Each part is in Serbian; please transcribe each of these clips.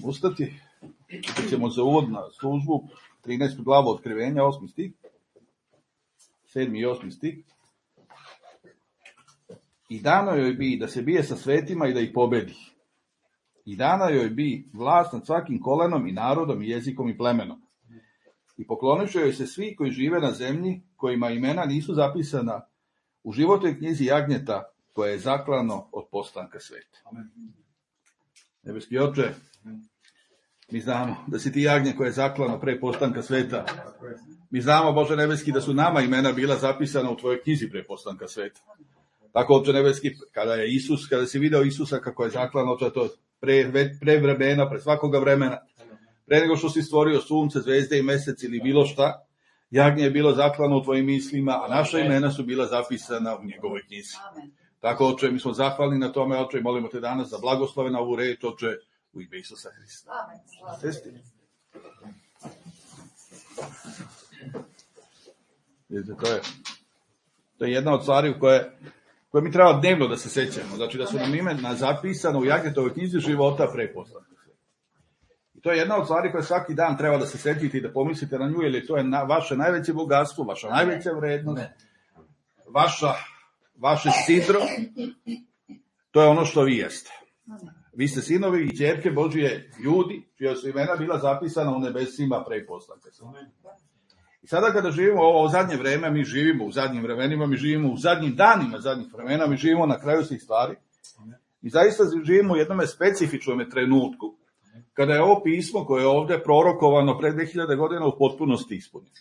ustati. Čitat ćemo za uvod na službu 13. glavu Otkrivenja, 8. stih, 7. i 8. stih. I dano joj bi da se bije sa svetima i da ih pobedi. I dana joj bi vlast nad svakim kolenom i narodom i jezikom i plemenom. I pokloniše joj se svi koji žive na zemlji, kojima imena nisu zapisana u životnoj knjizi jagnjeta koje je zaklano od postanka sveta. Nebeski Oče, mi znamo da si ti jagnje koje je zaklano pre postanka sveta. Mi znamo, Bože nebeski, da su nama imena bila zapisana u tvojoj knjizi pre postanka sveta. Tako, Oče nebeski, kada si video Isusa kako je zaklano, to pre vremena, pre svakoga vremena, pre nego što si stvorio sunce, zvezde i mesec ili bilo šta, jagnje je bilo zaklano u tvojim mislima, a naša imena su bila zapisana u njegovoj knjizi. Tako, Oče, mi smo zahvalni na tome, Oče, i molimo te danas za blagoslove na ovu reč, Oče, u ime Isusa Hrista. Sesti. Vidite, to je jedna od stvari koje mi treba dnevno da se sećamo. Znači da su nam imena zapisana u jagnjetovoj knjizi života pre postanka sveta. I to je jedna od stvari koje svaki dan treba da se setite i da pomislite na nju, jer to je vaše najveće bogatstvo, vaša najveća vrednost, vaše sidro, to je ono što vi jeste. Vi ste sinovi i ćerke Božije ljudi, čija su imena bila zapisana u nebesima pre postanka sveta. I sada kada živimo ovo zadnje vreme, mi živimo u zadnjim vremenima, mi živimo u zadnjim danima zadnjih vremena, mi živimo na kraju svih stvari. I zaista živimo u jednom specifičnom trenutku, kada je ovo pismo koje je ovdje prorokovano pre 2000 godina u potpunosti ispunjeno.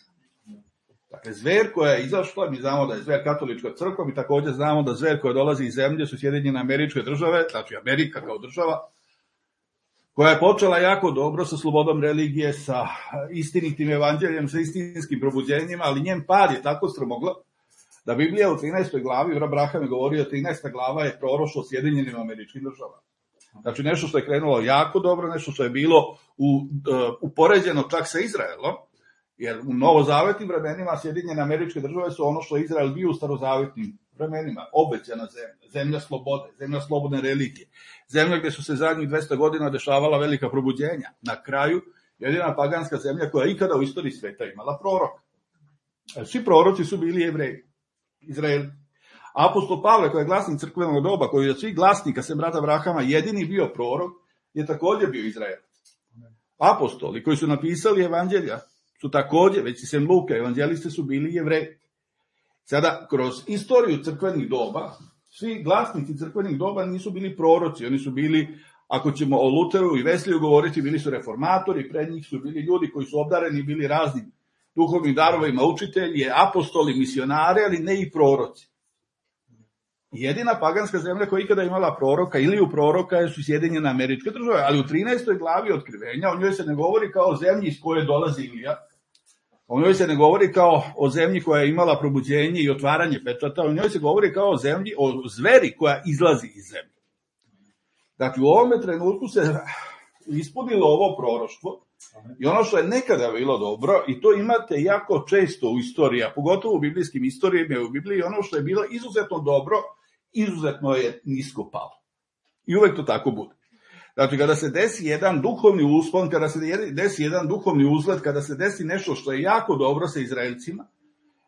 Dakle, zver koja je izašla, mi znamo da je zver katolička crkva, mi također znamo da zver koja dolazi iz zemlje su Sjedinjene Američke Države, znači Amerika kao država, koja je počela jako dobro sa slobodom religije, sa istinitim evanđeljem, sa istinskim probuđenjima, ali njen pad je tako strmoglav da Biblija u 13. glavi, Abraham je govorio, 13. glava je proroštvo Sjedinjenim Američkim Državama. Znači nešto što je krenulo jako dobro, nešto što je bilo upoređeno čak sa Izraelom, jer u novozavetnim vremenima Sjedinjene Američke Države su ono što je Izrael bio u starozavetnim vremenima, obećana zemlja, zemlja slobode, zemlja slobodne religije, zemlja gdje su se zadnjih 200 godina dešavala velika probuđenja. Na kraju, jedina paganska zemlja koja je ikada u istoriji sveta imala proroka. Svi proroci su bili Jevreji, Izraeli. Apostol Pavle, koji je glasnik crkvenog doba, koji je od svih glasnika, sem brata Abrahama, jedini bio prorok, je također bio Izraelac. Apostoli koji su napisali evanđelja su također, već i sem Luka, evanđelisti su bili Jevreji. Sada, kroz istoriju crkvenih doba, svi glasnici crkvenih doba nisu bili proroci, oni su bili, ako ćemo o Luteru i Vesliju govoriti, bili su reformatori, pred njih su bili ljudi koji su obdareni, bili raznim duhovnim darovima, učitelji, apostoli, misionari, ali ne i proroci. Jedina paganska zemlja koja je ikada imala proroka ili u proroka su Sjedinjene Američke Države, ali u 13. glavi Otkrivenja o njoj se ne govori kao o zemlji iz koje dolazi Ilija, o njoj se ne govori kao o zemlji koja je imala probuđenje i otvaranje pečata, o njoj se govori kao o zemlji, o zveri koja izlazi iz zemlje. Dakle, u ovome trenutku se ispunilo ovo proroštvo i ono što je nekada bilo dobro, i to imate jako često u istoriji, a pogotovo u biblijskim istorijama i u Bibliji, ono što je bilo izuzetno dobro, izuzetno je nisko palo. I uvek to tako bude. Znači, kada se desi jedan duhovni uspon, kada se desi jedan duhovni uzlet, kada se desi nešto što je jako dobro sa Izraelcima,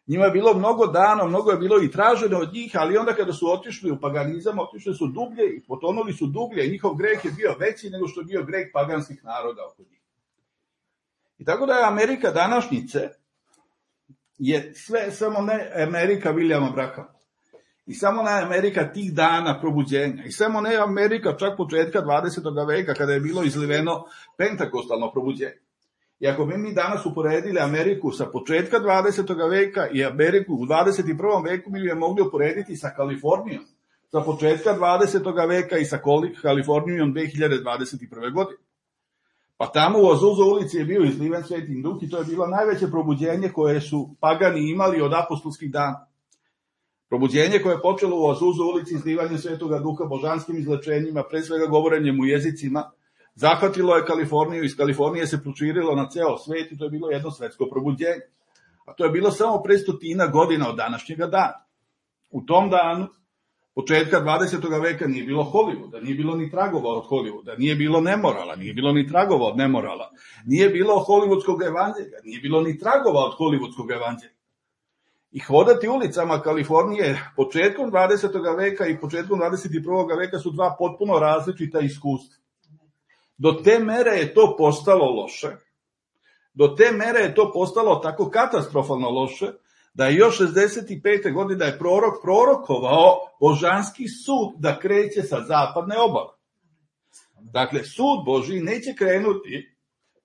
njima je bilo mnogo dano, mnogo je bilo i traženo od njih, ali onda kada su otišli u paganizam, otišli su dublje i potonuli su dublje i njihov greh je bio veći nego što je bio greh paganskih naroda oko njih. I tako da je Amerika današnjice je sve samo ne Amerika Williama Branhama. I samo ne Amerika tih dana probuđenja. I samo ne Amerika čak početka 20. veka kada je bilo izliveno pentakostalno probuđenje. I ako bi mi danas uporedili Ameriku sa početka 20. veka i Ameriku u 21. veku, mi bi je mogli uporediti sa Kalifornijom sa početka 20. veka i sa Kalifornijom 2021. godine. Pa tamo u Azusa ulici je bio izliven Sveti Duh i to je bilo najveće probuđenje koje su pagani imali od apostolskih dana. Probuđenje koje je počelo u Azusa ulici izlivanjem Svetoga Duha, božanskim izlečenjima, pre svega govorenjem u jezicima, zahvatilo je Kaliforniju, iz Kalifornije se proširilo na ceo svet i to je bilo jedno svetsko probuđenje. A to je bilo samo pre 100 godina od današnjega dana. U tom danu Početka 20. veka nije bilo Hollywooda, nije bilo ni tragova od Hollywooda, nije bilo nemorala, nije bilo ni tragova od nemorala, nije bilo hollywoodskog evanđelja, nije bilo ni tragova od hollywoodskog evanđelja. I hodati ulicama Kalifornije početkom 20. veka i početkom 21. veka su dva potpuno različita iskustva. Do te mere je to postalo loše, do te mere je to postalo tako katastrofalno loše, da je još 65. godine je prorok prorokovao božanski sud da kreće sa zapadne obale. Dakle, sud Božji neće krenuti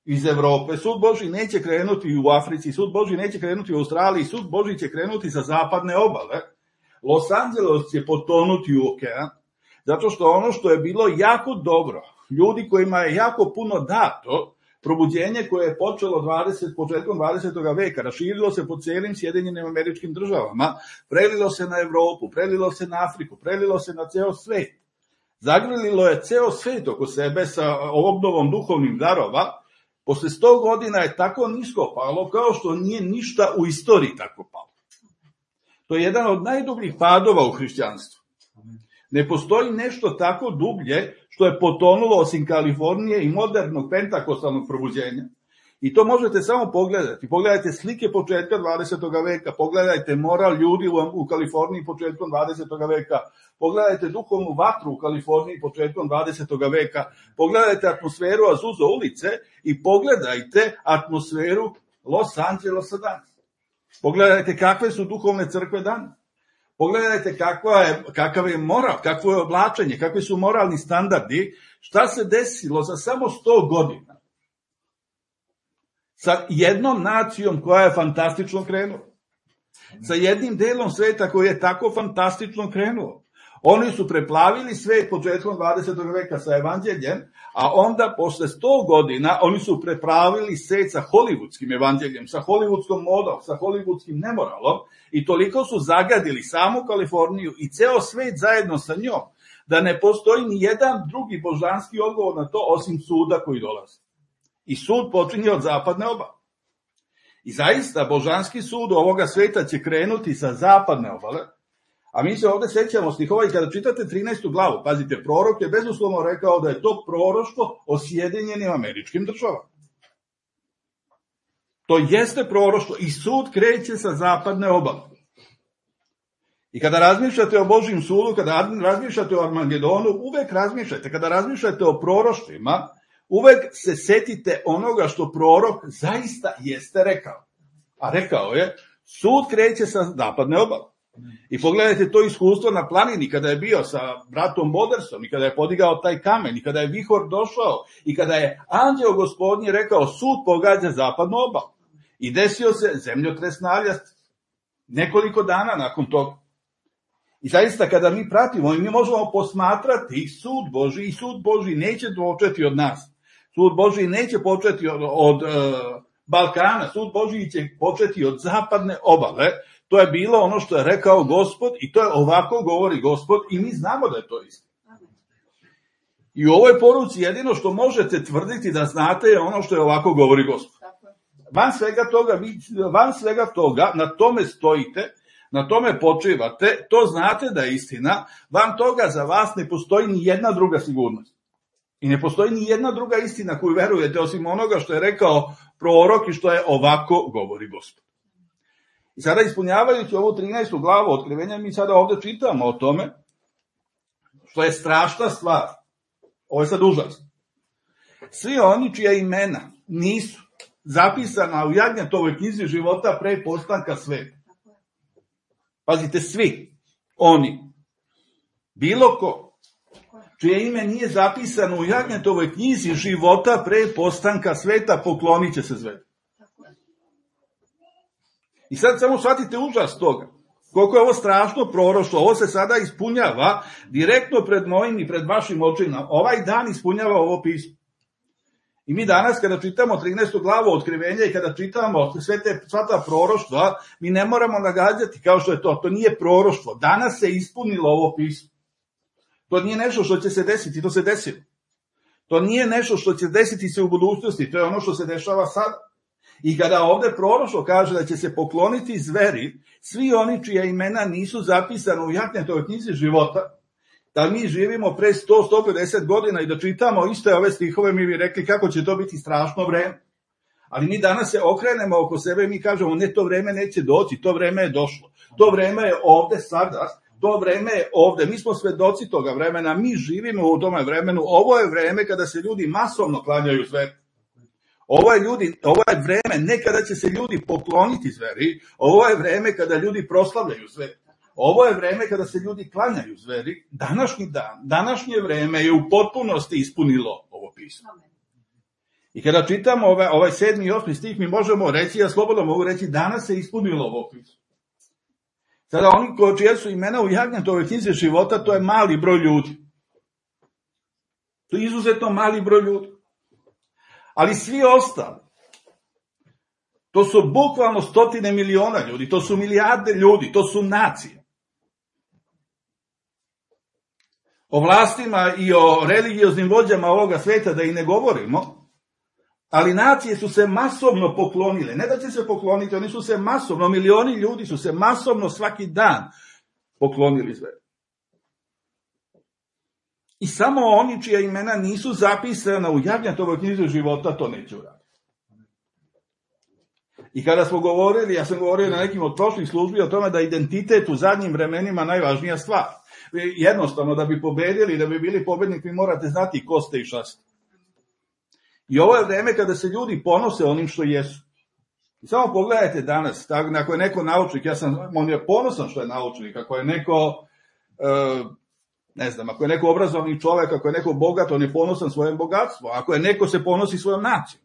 iz Evrope, sud Božji neće krenuti u Africi, sud Božji neće krenuti u Australiji, sud Božji će krenuti sa zapadne obale. Los Angeles će potonuti u okean, zato što ono što je bilo jako dobro, ljudi kojima je jako puno dato, probuđenje koje je počelo početkom 20. veka, raširilo se po cijelim Sjedinjenim Američkim Državama, prelilo se na Evropu, prelilo se na Afriku, prelilo se na ceo svet. Zagrlilo je ceo svet oko sebe sa obnovom duhovnih darova. Posle 100 godina je tako nisko palo kao što nije ništa u istoriji tako palo. To je jedan od najdubljih padova u hrišćanstvu. Ne postoji nešto tako dublje što je potonulo osim Kalifornije i modernog pentakostalnog probuđenja. I to možete samo pogledati. Pogledajte slike početka 20. veka, pogledajte moral ljudi u Kaliforniji početkom 20. veka, pogledajte duhovnu vatru u Kaliforniji početkom 20. veka, pogledajte atmosferu Azusa ulice i pogledajte atmosferu Los Angelesa danas. Pogledajte kakve su duhovne crkve danas. Pogledajte kakav je moral, kakvo je oblačenje, kakvi su moralni standardi, šta se desilo za samo 100 godina sa jednom nacijom koja je fantastično krenula, sa jednim delom sveta koji je tako fantastično krenuo. Oni su preplavili svet početkom 20. veka sa evanđeljem, a onda posle 100 godina oni su preplavili svet sa hollywoodskim evanđeljem, sa hollywoodskom modom, sa hollywoodskim nemoralom i toliko su zagadili samu Kaliforniju i ceo svet zajedno sa njom, da ne postoji ni jedan drugi božanski odgovor na to osim suda koji dolazi. I sud počinje od zapadne obale. I zaista božanski sud ovoga sveta će krenuti sa zapadne obale. A mi se ovde sećamo stihova i kada čitate 13. glavu, pazite, prorok je bezuslovno rekao da je to proroštvo o Sjedinjenim Američkim Državama. To jeste proroštvo i sud kreće sa zapadne obale. I kada razmišljate o Božjem sudu, kada razmišljate o Armagedonu, uvek razmišljate, kada razmišljate o proroštvima, uvek se setite onoga što prorok zaista jeste rekao. A rekao je, sud kreće sa zapadne obale. I pogledajte to iskustvo na planini kada je bio sa bratom Bodersom i kada je podigao taj kamen i kada je vihor došao i kada je anđeo gospodnji rekao sud pogađa zapadnu obalu. I desio se zemljotres naljast nekoliko dana nakon toga. I zaista kada mi pratimo i mi možemo posmatrati sud Božji i sud Božji neće početi od nas. Sud Božji neće početi od Balkana, sud Božji će početi od zapadne obale. To je bilo ono što je rekao Gospod i to je ovako govori Gospod i mi znamo da je to isto. I u ovoj poruci jedino što možete tvrditi da znate je ono što je ovako govori Gospod. Van svega toga, na tome stojite, na tome počivate, to znate da je istina, van toga za vas ne postoji ni jedna druga sigurnost. I ne postoji ni jedna druga istina koju verujete osim onoga što je rekao prorok i što je ovako govori Gospod. I sada ispunjavajući ovu 13. glavu Otkrivenja, mi sada ovde čitamo o tome, što je strašna stvar. Ovo je sad užasno. Svi oni čija imena nisu zapisana u Jagnjetovoj knjizi života pre postanka sveta. Pazite, svi oni, bilo ko, čije ime nije zapisano u Jagnjetovoj knjizi života pre postanka sveta, poklonit će se zvezdi. I sad samo shvatite užas toga. Koliko je ovo strašno proroštvo, ovo se sada ispunjava direktno pred mojim i pred vašim očima. Ovaj dan ispunjava ovo pismo. I mi danas kada čitamo 13. glavu Otkrivenja i kada čitamo sva ta proroštva, mi ne moramo nagađati kao što je to. To nije proroštvo. Danas se ispunilo ovo pismo. To nije nešto što će se desiti, to se desilo. To nije nešto što će desiti se u budućnosti, to je ono što se dešava sada. I kada ovdje proroštvo kaže da će se pokloniti zveri, svi oni čija imena nisu zapisana u Jahnetovoj knjizi života, da mi živimo pre 100-150 godina i da čitamo iste ove stihove, mi bi rekli kako će to biti strašno vreme. Ali mi danas se okrenemo oko sebe i mi kažemo ne, to vreme neće doći, to vreme je došlo. To vreme je ovde sada, to vreme je ovde. Mi smo svedoci toga vremena, mi živimo u tome vremenu. Ovo je vreme kada se ljudi masovno klanjaju zveri. Ovo je vreme ne kada će se ljudi pokloniti zveri, ovo je vreme kada ljudi proslavljaju zveri. Ovo je vreme kada se ljudi klanjaju zveri. Današnji dan, današnje vreme je u potpunosti ispunilo ovo pismo. I kada čitamo ovaj 7. i 8. stih, mi možemo reći, ja slobodno mogu reći, danas se ispunilo ovo pismo. Sada oni čija su imena u Jahnetovoj knjizi života, to je mali broj ljudi. To je izuzetno mali broj ljudi. Ali svi ostali, to su bukvalno stotine miliona ljudi, to su milijarde ljudi, to su nacije. O vlastima i o religioznim vođama ovoga sveta da i ne govorimo, ali nacije su se masovno poklonile. Ne da će se pokloniti, oni su se masovno, milioni ljudi su se masovno svaki dan poklonili zveri. I samo oni čija imena nisu zapisana u Jahnetovoj knjizi života, to neće uraditi. I kada smo govorili, ja sam govorio na nekim od prošlih službi o tome da identitet u zadnjim vremenima najvažnija stvar. Jednostavno, da bi pobedili, da bi bili pobednik, vi morate znati ko ste i šta ste. I ovo je vreme kada se ljudi ponose onim što jesu. I samo pogledajte danas, ako je neko naučnik, on je ponosan što je naučnik, ako je neko, ako je neko obrazovni čovek, ako je neko bogat, on je ponosan svojim bogatstvom, ako je neko se ponosi svojom nacijom.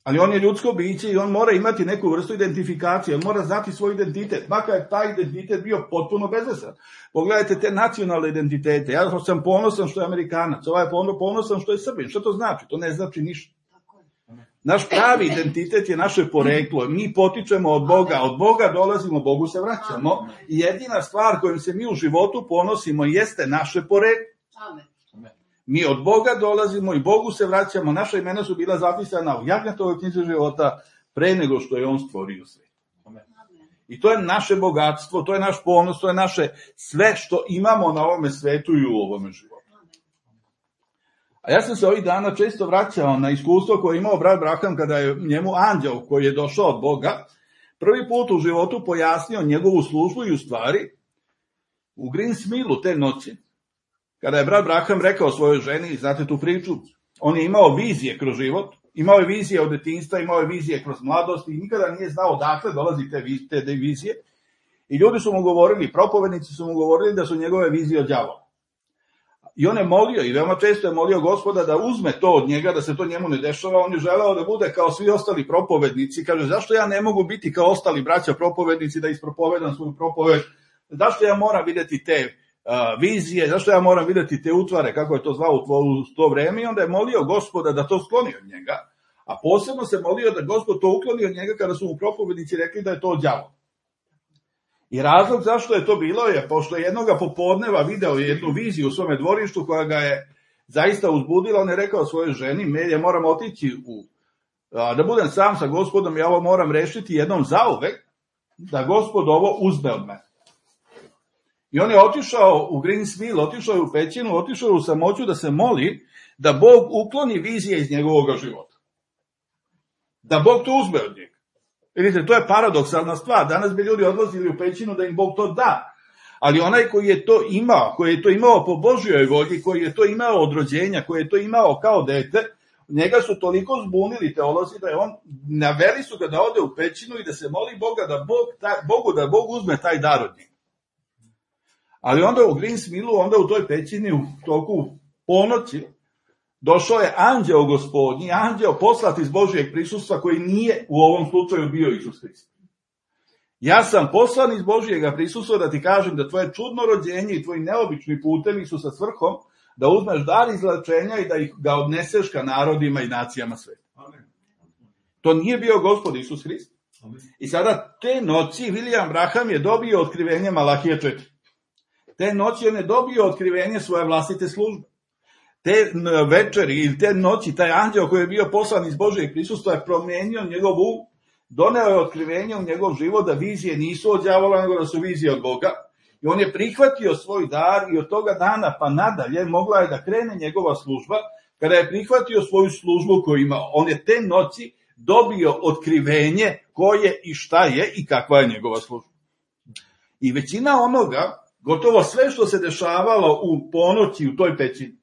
Ali on je ljudsko biće i on mora imati neku vrstu identifikacije, on mora znati svoj identitet, makar je taj identitet bio potpuno bezvesan. Pogledajte te nacionalne identitete, ja sam ponosan što je Amerikanac, ovaj je ponosan što je Srbin, što to znači? To ne znači ništa. Naš pravi identitet je naše poreklo, mi potičemo od Boga dolazimo, Bogu se vraćamo i jedina stvar kojom se mi u životu ponosimo jeste naše poreklo. Mi od Boga dolazimo i Bogu se vraćamo, naša imena su bila zapisana u Jahnetovoj knjizi života pre nego što je on stvorio svet. I to je naše bogatstvo, to je naš ponos, to je naše sve što imamo na ovome svetu i u ovome životu. A ja sam se ovih dana često vraćao na iskustvo koje je imao brat Braham kada je njemu anđeo koji je došao od Boga prvi put u životu pojasnio njegovu službu i u stvari u Greensmillu te noći, kada je brat Braham rekao svojoj ženi, znate tu priču, on je imao vizije kroz život, imao je vizije od detinjstva, imao je vizije kroz mladost i nikada nije znao odakle dolazi te vizije. I ljudi su mu govorili, propovednici su mu govorili da su njegove vizije od đavola. I on je molio, i veoma često je molio Gospoda da uzme to od njega, da se to njemu ne dešava. On je želeo da bude kao svi ostali propovednici. Kaže, zašto ja ne mogu biti kao ostali braća propovednici da ispropovedam svoju propoved? Zašto ja moram vidjeti te vizije, zašto ja moram vidjeti te utvare, kako je to zvao u to vreme? I onda je molio Gospoda da to skloni od njega. A posebno se molio da Gospod to ukloni od njega kada su mu propovednici rekli da je to đavo. I razlog zašto je to bilo je, pošto je jednoga popodneva video jednu viziju u svome dvorištu koja ga je zaista uzbudila, on je rekao svojoj ženi, ja moram otići da budem sam sa Gospodom, ja ovo moram rešiti jednom zauvek, da Gospod ovo uzme od mene. I on je otišao u Greensmill, otišao je u pećinu, otišao je u samoću da se moli da Bog ukloni vizije iz njegovog života. Da Bog to uzme od njega. Vidite, to je paradoksalna stvar. Danas bi ljudi odlazili u pećinu da im Bog to da. Ali onaj koji je to imao po Božjoj volji, koji je to imao od rođenja, koji je to imao kao dete, njega su toliko zbunili teolozi da je on, naveli su ga da ode u pećinu i da se moli Boga da Bog uzme taj dar od njega. Ali onda u Greensmillu, onda u toj pećini u toku ponoći, došao je anđeo Gospodnji, anđeo poslat iz Božijeg prisustva koji nije u ovom slučaju bio Isus Hrist. Ja sam poslan iz Božijega prisustva da ti kažem da tvoje čudno rođenje i tvoji neobični putevi su sa svrhom da uzmeš dar izlečenja i da ga odneseš ka narodima i nacijama sveta. To nije bio Gospod Isus Hrist. I sada te noći William Branham je dobio otkrivenje Malahije 4. Te noći on je dobio otkrivenje svoje vlastite službe. te večeri ili te noći, taj anđeo koji je bio poslan iz Božjeg prisustva je promenio njegov um, doneo je otkrivenje u njegov život da vizije nisu od đavola, nego da su vizije od Boga. I on je prihvatio svoj dar i od toga dana pa nadalje mogla je da krene njegova služba. Kada je prihvatio svoju službu koju ima, on je te noći dobio otkrivenje ko je i šta je i kakva je njegova služba. I većina onoga, gotovo sve što se dešavalo u ponoći u toj pećini.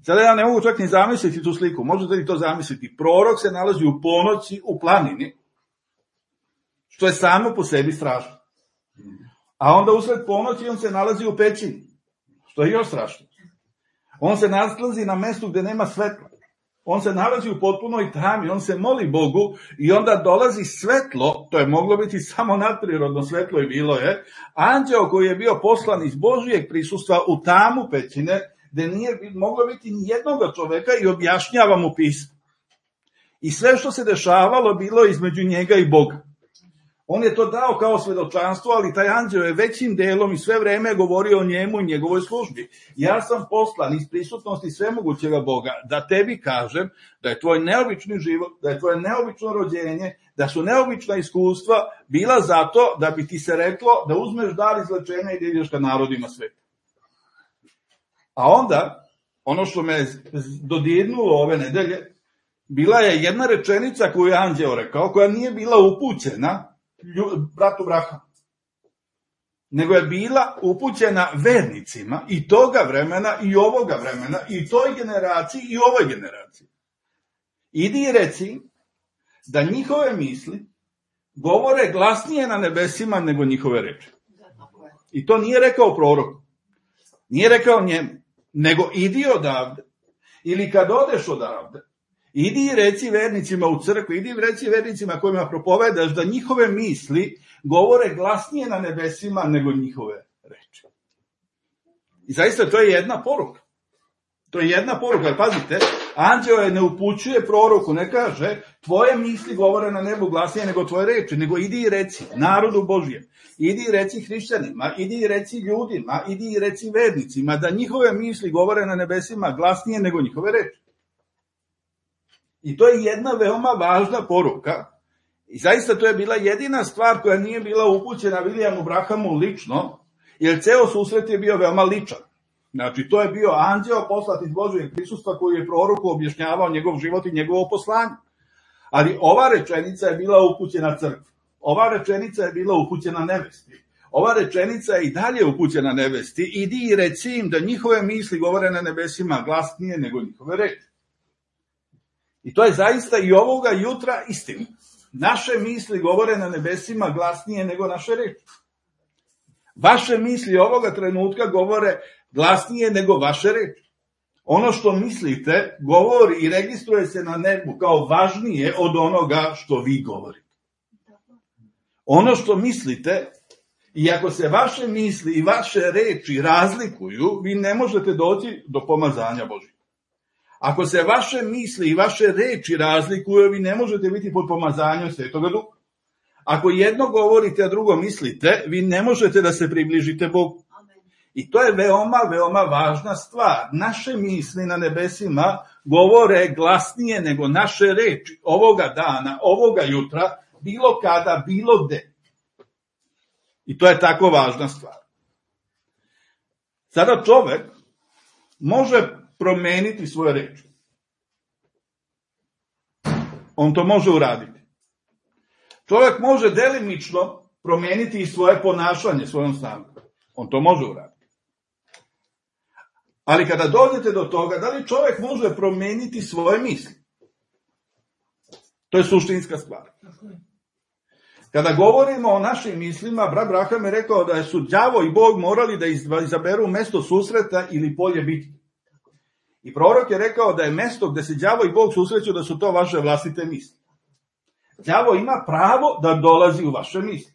Sada ja ne mogu čak ni zamisliti tu sliku, možete li to zamisliti? Prorok se nalazi u ponoći u planini, što je samo po sebi strašno. A onda usred ponoći on se nalazi u pećini, što je još strašno. On se nalazi na mestu gde nema svetla. On se nalazi u potpunoj tami, on se moli Bogu i onda dolazi svetlo, to je moglo biti samo nadprirodno svetlo i bilo je, anđeo koji je bio poslan iz Božijeg prisustva u tamu pećine, gde nije moglo biti ni jednoga čoveka i objašnjava mu pismo. I sve što se dešavalo bilo između njega i Boga. On je to dao kao svedočanstvo, ali taj anđeo je većim delom i sve vreme govorio o njemu i njegovoj službi. Ja sam poslan iz prisutnosti svemogućega Boga da tebi kažem da je tvoj neobični život, da je tvoje neobično rođenje, da su neobična iskustva bila zato da bi ti se reklo da uzmeš dar izlečenja i da ideš ka narodima sveta. A onda, ono što me dodirnulo ove nedelje, bila je jedna rečenica koju je anđeo rekao, koja nije bila upućena bratu Brahamu, nego je bila upućena vernicima i toga vremena i ovoga vremena i toj generaciji i ovoj generaciji. Idi i reci da njihove misli govore glasnije na nebesima nego njihove reči. I to nije rekao proroku, nije rekao njemu, nego idi odavde, ili kad odeš odavde, idi i reci vernicima u crkvi, idi i reci vernicima kojima propovedaš da njihove misli govore glasnije na nebesima nego njihove reči. I zaista to je jedna poruka. To je jedna poruka, jer pazite, anđeo je ne upućuje proroku, ne kaže tvoje misli govore na nebu glasnije nego tvoje reči, nego idi i reci narodu Božjem, idi i reci hrišćanima, idi i reci ljudima, idi i reci vernicima da njihove misli govore na nebesima glasnije nego njihove reči. I to je jedna veoma važna poruka. I zaista to je bila jedina stvar koja nije bila upućena Williamu Brahamu lično, jer ceo susret je bio veoma ličan. Znači, to je bio anđeo poslat iz Božjeg prisustva koji je proroku objašnjavao njegov život i njegovo poslanje. Ali ova rečenica je bila upućena crkvi. Ova rečenica je bila upućena nevesti. Ova rečenica je i dalje upućena nevesti. Idi i reci im da njihove misli govore na nebesima glasnije nego njihove reči. I to je zaista i ovoga jutra istina. Naše misli govore na nebesima glasnije nego naše reči. Vaše misli ovoga trenutka govore glasnije nego vaše reči. Ono što mislite govori i registruje se na nebu kao važnije od onoga što vi govorite. Ono što mislite, i ako se vaše misli i vaše reči razlikuju, vi ne možete doći do pomazanja Božjeg. Ako se vaše misli i vaše reči razlikuju, vi ne možete biti pod pomazanjem Svetoga Duha. Ako jedno govorite, a drugo mislite, vi ne možete da se približite Bogu. I to je veoma, veoma važna stvar. Naše misli na nebesima govore glasnije nego naše reči ovoga dana, ovoga jutra, bilo kada, bilo gde. I to je tako važna stvar. Sada čovek može promeniti svoje reči. On to može uraditi. Čovjek može delimično promeniti i svoje ponašanje svojom snagom. On to može uraditi. Ali kada dođete do toga, da li čovjek može promeniti svoje misli? To je suštinska stvar. Kada govorimo o našim mislima, brat Braham je rekao da su đavo i Bog morali da izaberu mesto susreta ili polje bitke. I prorok je rekao da je mesto gde se đavo i Bog susreću da su to vaše vlastite misli. Đavo ima pravo da dolazi u vaše misli.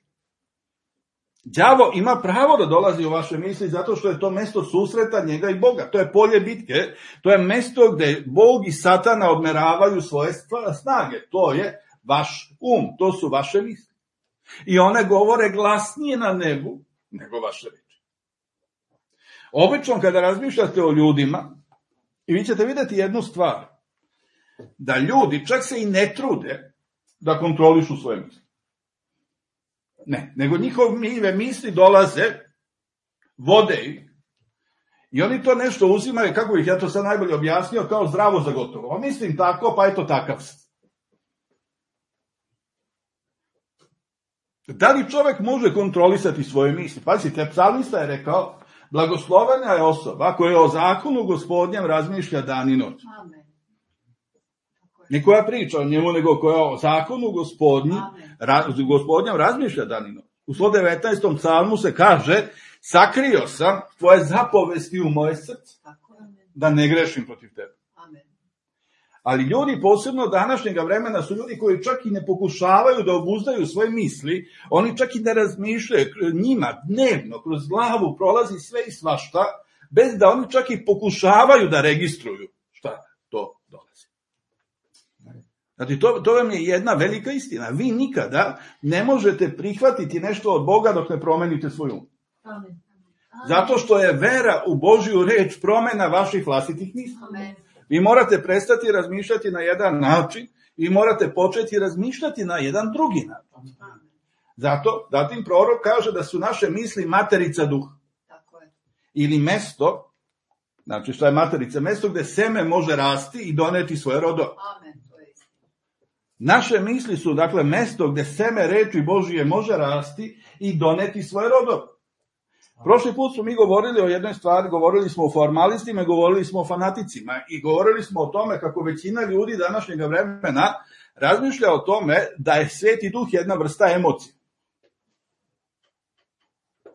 Đavo ima pravo da dolazi u vaše misli zato što je to mesto susreta njega i Boga. To je polje bitke, to je mesto gde Bog i Satana odmeravaju svoje snage. To je vaš to su vaše misli. I one govore glasnije na nebu nego vaše reči. Obično kada razmišljate o ljudima, I vi ćete vidjeti jednu stvar, da ljudi čak se i ne trude da kontrolišu svoje misli. Ne, nego njihove misli dolaze, vode ih, i oni to nešto uzimaju, kako bih ja to sad najbolje objasnio, kao zdravo za gotovo. A mislim tako, pa eto takav sam. Da li čovjek može kontrolisati svoje misli? Pazite, psalmista je rekao, blagoslovena je osoba koja o zakonu Gospodnjem razmišlja dan i noć. Ne koja priča o njemu, nego koja o zakonu Gospodnjem razmišlja dan i noć. U 119. psalmu se kaže, sakrio sam tvoje zapovesti u moje srce, da ne grešim protiv tebe. Ali ljudi, posebno današnjega vremena, su ljudi koji čak i ne pokušavaju da obuzdaju svoje misli, oni čak i ne razmišljaju, njima dnevno kroz glavu prolazi sve i svašta, bez da oni čak i pokušavaju da registruju šta to dolazi. Znači, to vam je jedna velika istina. Vi nikada ne možete prihvatiti nešto od Boga dok ne promenite svoj um. Zato što je vera u Božju reč promena vaših vlastitih misli. Vi morate prestati razmišljati na jedan način i morate početi razmišljati na jedan drugi način. Zato, zatim prorok kaže da su naše misli materica duha. Ili mesto, znači što je materica, mesto gde seme može rasti i doneti svoje rodove. Naše misli su, dakle, mesto gde seme reči Božije može rasti i doneti svoje rodove. Prošli put smo mi govorili o jednoj stvari, govorili smo o formalistima, govorili smo o fanaticima i govorili smo o tome kako većina ljudi današnjeg vremena razmišlja o tome da je Sveti Duh jedna vrsta emocije.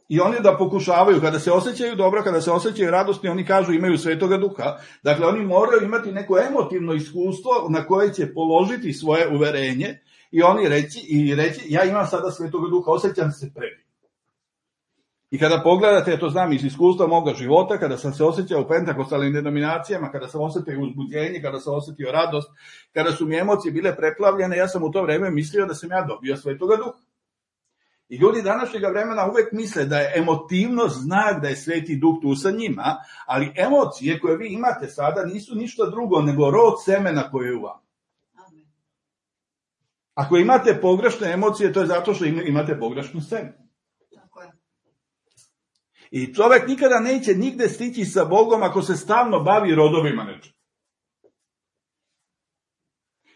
I oni da pokušavaju, kada se osjećaju dobro, kada se osjećaju radosni, oni kažu imaju Svetoga Duha. Dakle, oni moraju imati neko emotivno iskustvo na koje će položiti svoje uverenje i oni reći ja imam sada Svetoga Duha, osjećam se predivno. I kada pogledate, to znam iz iskustva moga života, kada sam se osjećao u pentakostalnim denominacijama, kada sam osjetio uzbuđenje, kada sam osjetio radost, kada su mi emocije bile preplavljene, ja sam u to vreme mislio da sam ja dobio Svetoga Duha. I ljudi današnjega vremena uvek misle da je emotivnost znak da je Sveti Duh tu sa njima, ali emocije koje vi imate sada nisu ništa drugo nego rod semena koje je u vama. Ako imate pogrešne emocije, to je zato što imate pogrešno seme. I čovjek nikada neće nigde stići sa Bogom ako se stalno bavi rodovima nečega.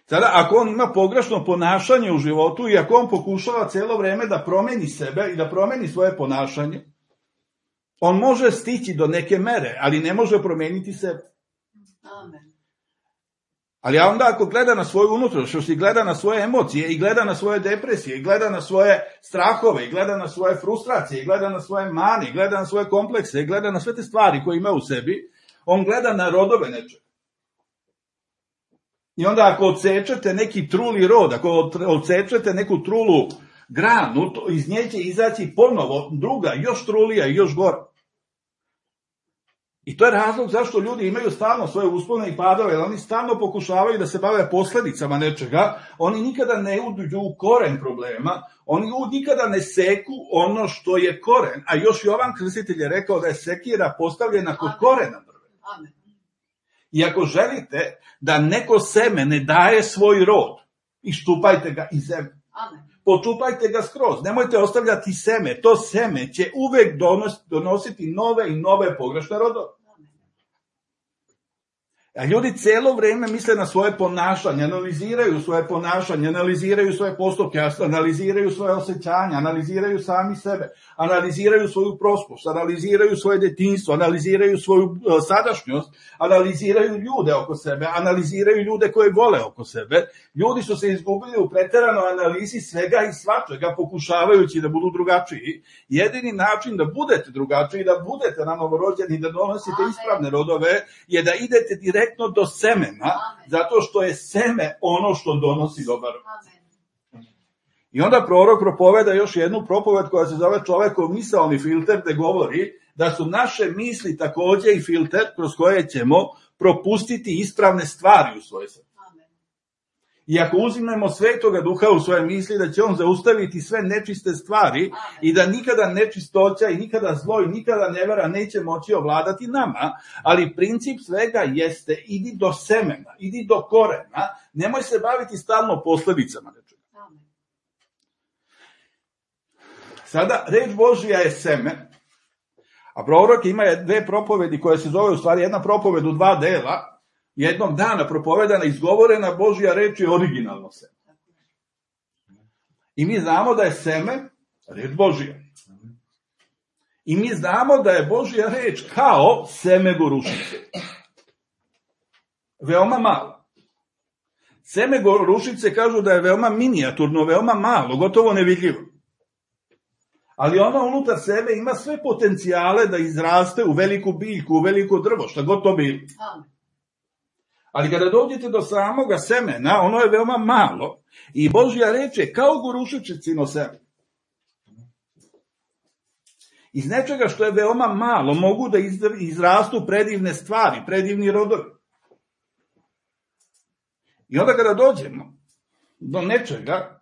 Sada, ako on ima pogrešno ponašanje u životu i ako on pokušava cijelo vreme da promeni sebe i da promeni svoje ponašanje, on može stići do neke mere, ali ne može promeniti sebe. Amen. Ali onda ako gleda na svoju unutrašnjost i gleda na svoje emocije i gleda na svoje depresije i gleda na svoje strahove i gleda na svoje frustracije i gleda na svoje mane i gleda na svoje komplekse i gleda na sve te stvari koje ima u sebi, on gleda na rodove nečega. I onda ako odsečete neki truli rod, ako odsečete neku trulu granu, iz nje će izaći ponovo druga, još trulija i još gora. I to je razlog zašto ljudi imaju stalno svoje uspone i padove, jer oni stalno pokušavaju da se bave posledicama nečega, oni nikada ne uđu u koren problema, oni nikada ne seku ono što je koren, a još Jovan Krstitelj je rekao da je sekira postavljena kod korena drveta. Amen. I ako želite da neko seme ne daje svoj rod, iščupajte ga iz zemlje. Amen. Počupajte ga skroz, nemojte ostavljati seme, to seme će uvek donositi nove i nove pogrešne rodove. A ljudi cijelo vrijeme misle na svoje ponašanje, analiziraju svoje ponašanje, analiziraju svoje postupke, analiziraju svoje osjećanja, analiziraju sami sebe, analiziraju svoju prošlost, analiziraju svoje detinjstvo, analiziraju svoju sadašnjost, analiziraju ljude oko sebe, analiziraju ljude koje vole oko sebe. Ljudi su se izgubili u preteranoj analizi svega i svačega, pokušavajući da budu drugačiji. Jedini način da budete drugačiji, da budete novorođeni, da donosite ispravne rodove, je da idete direktno do semena, zato što je seme ono što donosi dobar rod. I onda prorok propoveda još jednu propoved koja se zove čovekov misaoni filter, gde govori da su naše misli takođe i filter kroz koje ćemo propustiti ispravne stvari u svoje srce. I ako uzimemo Svetoga Duha u svoje misli, da će on zaustaviti sve nečiste stvari i da nikada nečistoća i nikada zlo i nikada nevera neće moći ovladati nama, ali princip svega jeste idi do semena, idi do korena, nemoj se baviti stalno posledicama nečega. Sada, reč Božija je seme, a prorok ima dve propovedi koje se zove u stvari jedna propoved u dva dela, jednog dana propovedana, izgovorena Božja reč je originalno seme. I mi znamo da je seme reč Božja. I mi znamo da je Božja reč kao seme gorušice. Veoma malo. Seme gorušice kažu da je veoma minijaturno, veoma malo, gotovo nevidljivo. Ali ona unutar sebe ima sve potencijale da izraste u veliku biljku, u veliko drvo, šta god to bilo. Ali kada dođete do samoga semena, ono je veoma malo i Božja reč je kao gorušičicino seme. Iz nečega što je veoma malo mogu da izrastu predivne stvari, predivni rodovi. I onda kada dođemo do nečega,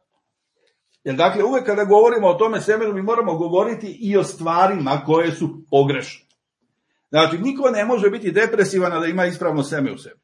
jer dakle uvek kada govorimo o tome semenu mi moramo govoriti i o stvarima koje su pogrešne. Znači niko ne može biti depresivan da ima ispravno seme u sebi.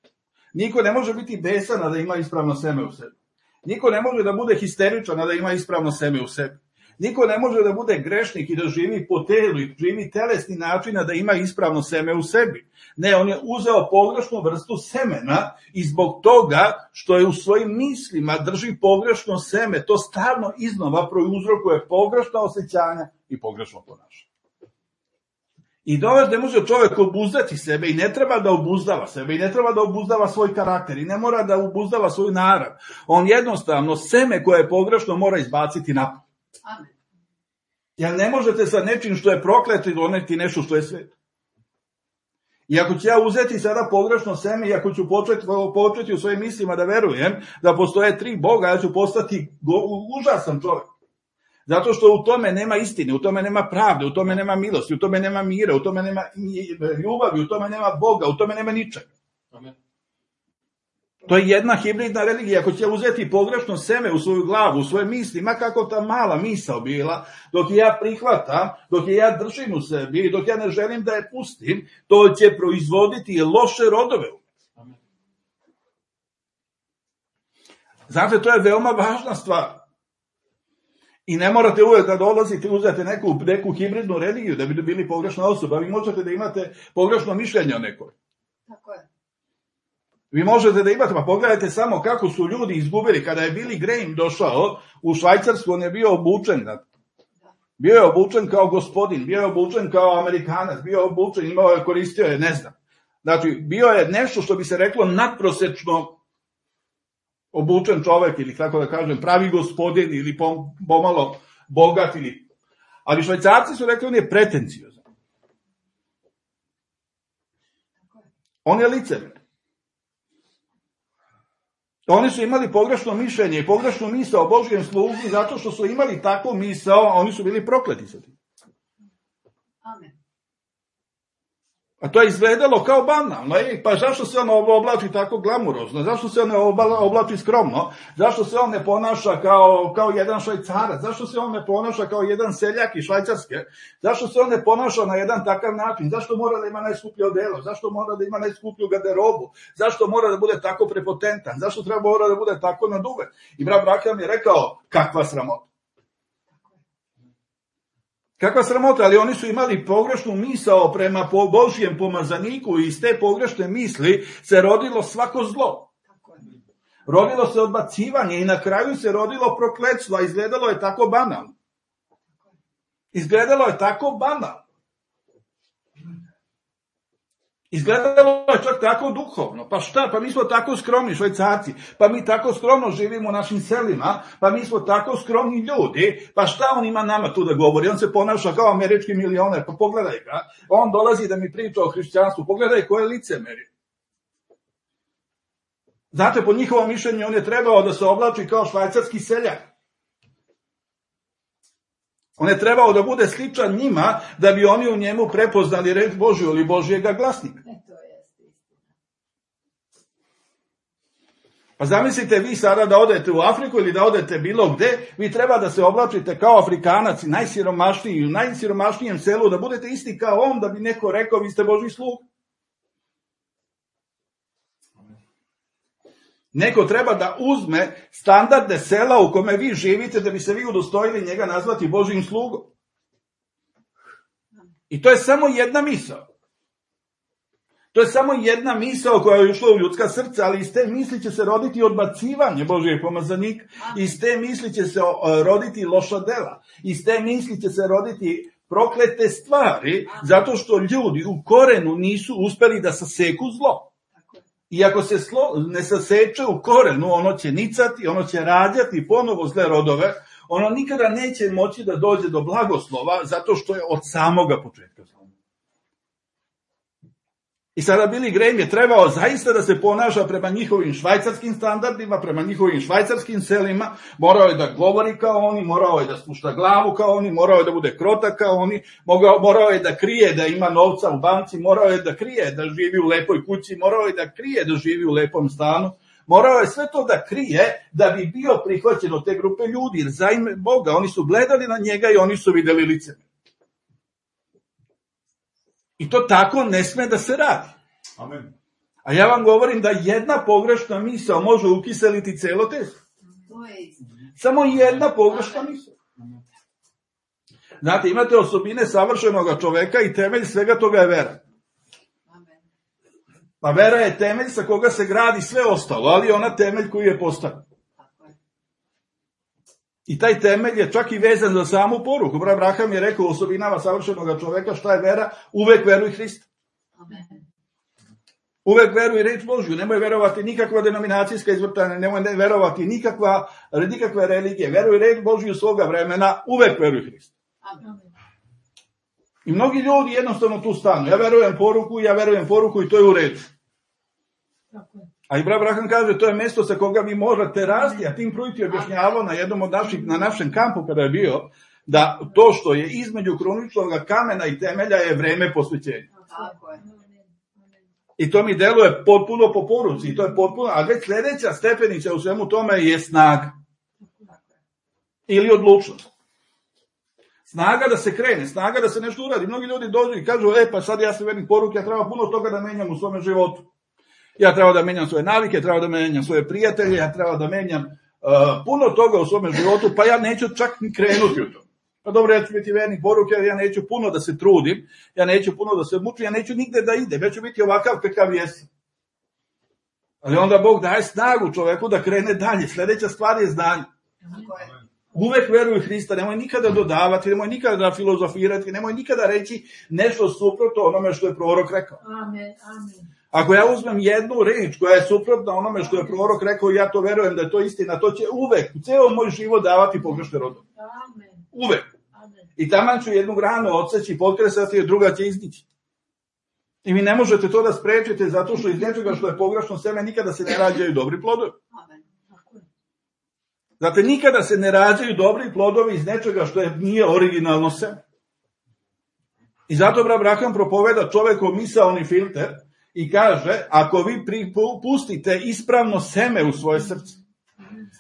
Niko ne može biti besan da ima ispravno seme u sebi. Niko ne može da bude histeričan da ima ispravno seme u sebi. Niko ne može da bude grešnik i da živi po telu i živi telesni način da ima ispravno seme u sebi. Ne, on je uzeo pogrešnu vrstu semena i zbog toga što je u svojim mislima drži pogrešno seme, to stalno iznova prouzrokuje pogrešna osjećanja i pogrešno ponašanje. I ne može čovjek obuzdati sebe i ne treba da obuzdava sebe i ne treba da obuzdava svoj karakter i ne mora da obuzdava svoju narav. On jednostavno seme koje je pogrešno mora izbaciti napolje. Amen. Jer ne možete sa nečim što je prokleto doneti nešto što je sveto. I ako ću ja uzeti sada pogrešno seme i ako ću početi u svojim mislima da verujem da postoje 3 Boga, ja ću postati užasan čovjek. Zato što u tome nema istine, u tome nema pravde, u tome nema milosti, u tome nema mira, u tome nema ljubavi, u tome nema Boga, u tome nema ničega. Amen. To je jedna hibridna religija. Ako će uzeti pogrešno seme u svoju glavu, u svoje misli, ma kako ta mala misao bila, dok je ja prihvatam, dok je ja držim u sebi, dok ja ne želim da je pustim, to će proizvoditi loše rodove. Amen. Znate, to je veoma važna stvar. I ne morate uvek da dolazite i uzete neku hibridnu religiju da bi bili pogrešna osoba. Vi možete da imate pogrešno mišljenje o nekoj. Tako je. Vi možete da imate, pa pogledajte samo kako su ljudi izgubili. Kada je Billy Graham došao u Švajcarsku, on je bio obučen. Bio je obučen kao gospodin, bio je obučen kao Amerikanac, bio je obučen, koristio je, ne znam. Znači, bio je nešto što bi se reklo nadprosečno obučen čovek, ili tako da kažem, pravi gospodin, ili pomalo bogat, ali Švajcarci su rekli, on je pretenciozan. On je licemer. Oni su imali pogrešno mišljenje i pogrešnu misao o Božjem službi, zato što su imali takvu misao, a oni su bili prokleti sa tim. Amen. A to je izgledalo kao banalno. Pa zašto se on oblači tako glamurozno? Zašto se on ne oblači skromno? Zašto se on ne ponaša kao jedan Švajcarac? Zašto se on ne ponaša kao jedan seljak iz Švajcarske? Zašto se on ne ponaša na jedan takav način? Zašto mora da ima najskuplje odelo? Zašto mora da ima najskuplju garderobu? Zašto mora da bude tako prepotentan? Zašto mora da bude tako naduven? I brat Branham je rekao, kakva sramota. Kakva sramota, ali oni su imali pogrešnu misao prema Božjem pomazaniku i iz te pogrešne misli se rodilo svako zlo. Rodilo se odbacivanje i na kraju se rodilo prokletstvo, a izgledalo je tako banalno. Izgledalo je tako banalno. Izgledalo je čak tako duhovno. Pa šta? Pa mi smo tako skromni Švajcarci. Pa mi tako skromno živimo u našim selima. Pa mi smo tako skromni ljudi. Pa šta on ima nama tu da govori? On se ponaša kao američki milioner. Pa pogledaj ga. On dolazi da mi priča o hrišćanstvu. Pogledaj koje licemeri. Znate, po njihovom mišljenju on je trebao da se oblači kao švajcarski seljak. On je trebao da bude sličan njima, da bi oni u njemu prepoznali reč Božju ili Božjega glasnika. Pa zamislite vi sada da odete u Afriku ili da odete bilo gde, vi treba da se oblačite kao Afrikanac, najsiromašniji, u najsiromašnijem selu, da budete isti kao on, da bi neko rekao vi ste Božji sluga. Neko treba da uzme standarde sela u kome vi živite da bi se vi udostojili njega nazvati Božjim slugom. I to je samo jedna misao. To je samo jedna misao koja je ušla u ljudska srca, ali iz te misli će se roditi odbacivanje Božijeg pomazanika, iz te misli će se roditi loša dela, iz te misli će se roditi proklete stvari, zato što ljudi u korenu nisu uspeli da saseku zlo. I ako se ne saseče u korenu, ono će nicati, ono će rađati ponovo zle rodove, ono nikada neće moći da dođe do blagoslova, zato što je od samoga početka zlo. I sada Billy Graham je trebao zaista da se ponaša prema njihovim švajcarskim standardima, prema njihovim švajcarskim selima, morao je da govori kao oni, morao je da spušta glavu kao oni, morao je da bude krotak kao oni, morao je da krije da ima novca u banci, morao je da krije da živi u lepoj kući, morao je da krije da živi u lepom stanu, morao je sve to da krije da bi bio prihvaćen od te grupe ljudi, jer za ime Boga oni su gledali na njega i oni su videli lice. I to tako ne sme da se radi. Amen. A ja vam govorim da jedna pogrešna misao može ukiseliti celo testo. Samo jedna pogrešna misao. Znate, imate osobine savršenog čoveka i temelj svega toga je vera. Pa vera je temelj sa koga se gradi sve ostalo, ali ona temelj koji je postavljen. I taj temelj je čak i vezan za samu poruku. Abraham je rekao u osobinama savršenog čoveka šta je vera, uvek veruj Hrista. Uvek veruj reč Božju, nemoj verovati nikakva denominacijska izvrtanja, nemoj verovati nikakve religije, veruj reč Božju svoga vremena, uvek veruj Hrista. I mnogi ljudi jednostavno tu stanu, ja verujem poruku i to je u redu. A Abraham kaže, to je mesto sa koga vi možete rasti, a Tim Pruitt je objašnjavao na našem kampu kada je bio, da to što je između kruničnog kamena i temelja je vreme posvećenja. I to mi deluje potpuno po poruci, i to je potpuno, a već sledeća stepenica u svemu tome je snaga. Ili odlučnost. Snaga da se krene, snaga da se nešto uradi. Mnogi ljudi dođu i kažu, pa sad ja sam vernik poruke, ja treba puno toga da menjam u svome životu. Ja treba da menjam svoje navike, treba da menjam svoje prijatelje, ja treba da menjam puno toga u svome životu, pa ja neću čak ni krenuti u to. Pa dobro, ja ću biti vernik poruke, ja neću puno da se trudim, ja neću puno da se mučim, ja neću nigde da idem, ja ću biti ovakav kakav jesam. Ali onda Bog daje snagu čoveku da krene dalje. Sledeća stvar je znanje. Uvek veruj Hrista, nemoj nikada dodavati, nemoj nikada filozofirati, nemoj nikada reći nešto suprotno onome što je prorok rekao. Amen. Ako ja uzmem jednu reč koja je suprotna onome što je prorok rekao i ja to verujem da je to istina, to će uvek, ceo moj život davati pogrešne rodove. Uvek. I taman ću jednu granu odseći, potkresati, a druga će izdići. I vi ne možete to da sprečite zato što iz nečega što je pogrešno seme nikada se ne rađaju dobri plodovi. Znate, nikada se ne rađaju dobri plodovi iz nečega što nije originalno seme. I zato Abraham propoveda čovekov misaoni filter i kaže, ako vi pustite ispravno seme u svoje srce,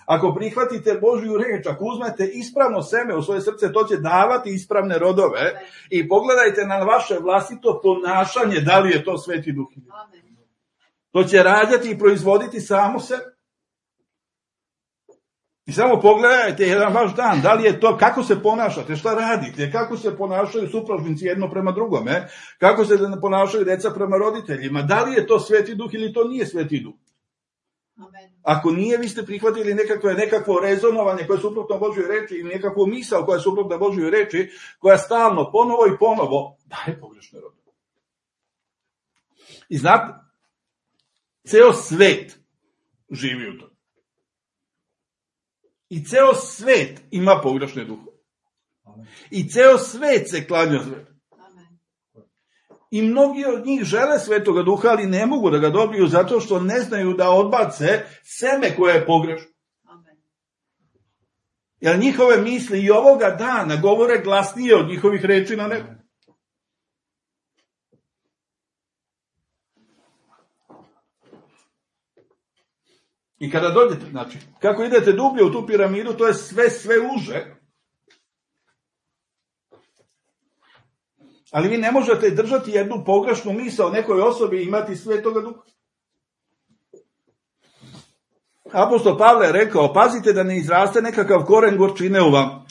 ako prihvatite Božju reč, ako uzmete ispravno seme u svoje srce, to će davati ispravne rodove i pogledajte na vaše vlastito ponašanje, da li je to Sveti Duh. To će rađati i proizvoditi samo sebe. I samo pogledajte jedan vaš dan, da li je to, kako se ponašate, šta radite, kako se ponašaju supružnici jedno prema drugome, kako se ponašaju deca prema roditeljima, da li je to Sveti Duh ili to nije Sveti Duh. Ako nije, vi ste prihvatili nekakvo rezonovanje koje je suprotno Božjoj reči ili nekakvu misao koja je suprotno Božjoj reči, koja stalno, ponovo i ponovo, daje pogrešne rodove. I znate, ceo svet živi u tom. I ceo svet ima pogrešne duhove. I ceo svet se klanja svetu. I mnogi od njih žele Svetoga Duha, ali ne mogu da ga dobiju zato što ne znaju da odbace seme koje je pogrešno. Jer njihove misli i ovoga dana govore glasnije od njihovih reči na nebu. I kada dođete, znači, kako idete dublje u tu piramidu, to je sve uže. Ali vi ne možete držati jednu pogrešnu misao o nekoj osobi i imati Svetoga Duha. Apostol Pavle je rekao, pazite da ne izraste nekakav koren gorčine u vam.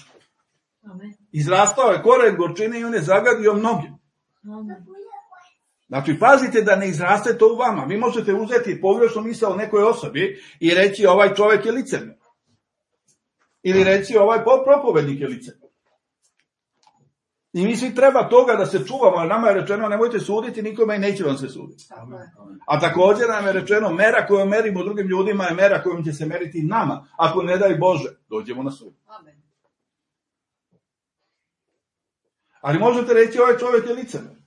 Izrastao je koren gorčine i on je zagadio mnoge. Znači, pazite da ne izraste to u vama. Vi možete uzeti pogrešnu misao o nekoj osobi i reći ovaj čovjek je licemjer. Ili reći ovaj propovednik je licemjer. I mi svi treba toga da se čuvamo, ali nama je rečeno nemojte suditi nikome i neće vam se suditi. A također nam je rečeno mera koju merimo drugim ljudima je mera kojom će se meriti nama. Ako ne daj Bože, dođemo na sud. Ali možete reći ovaj čovjek je licemjer.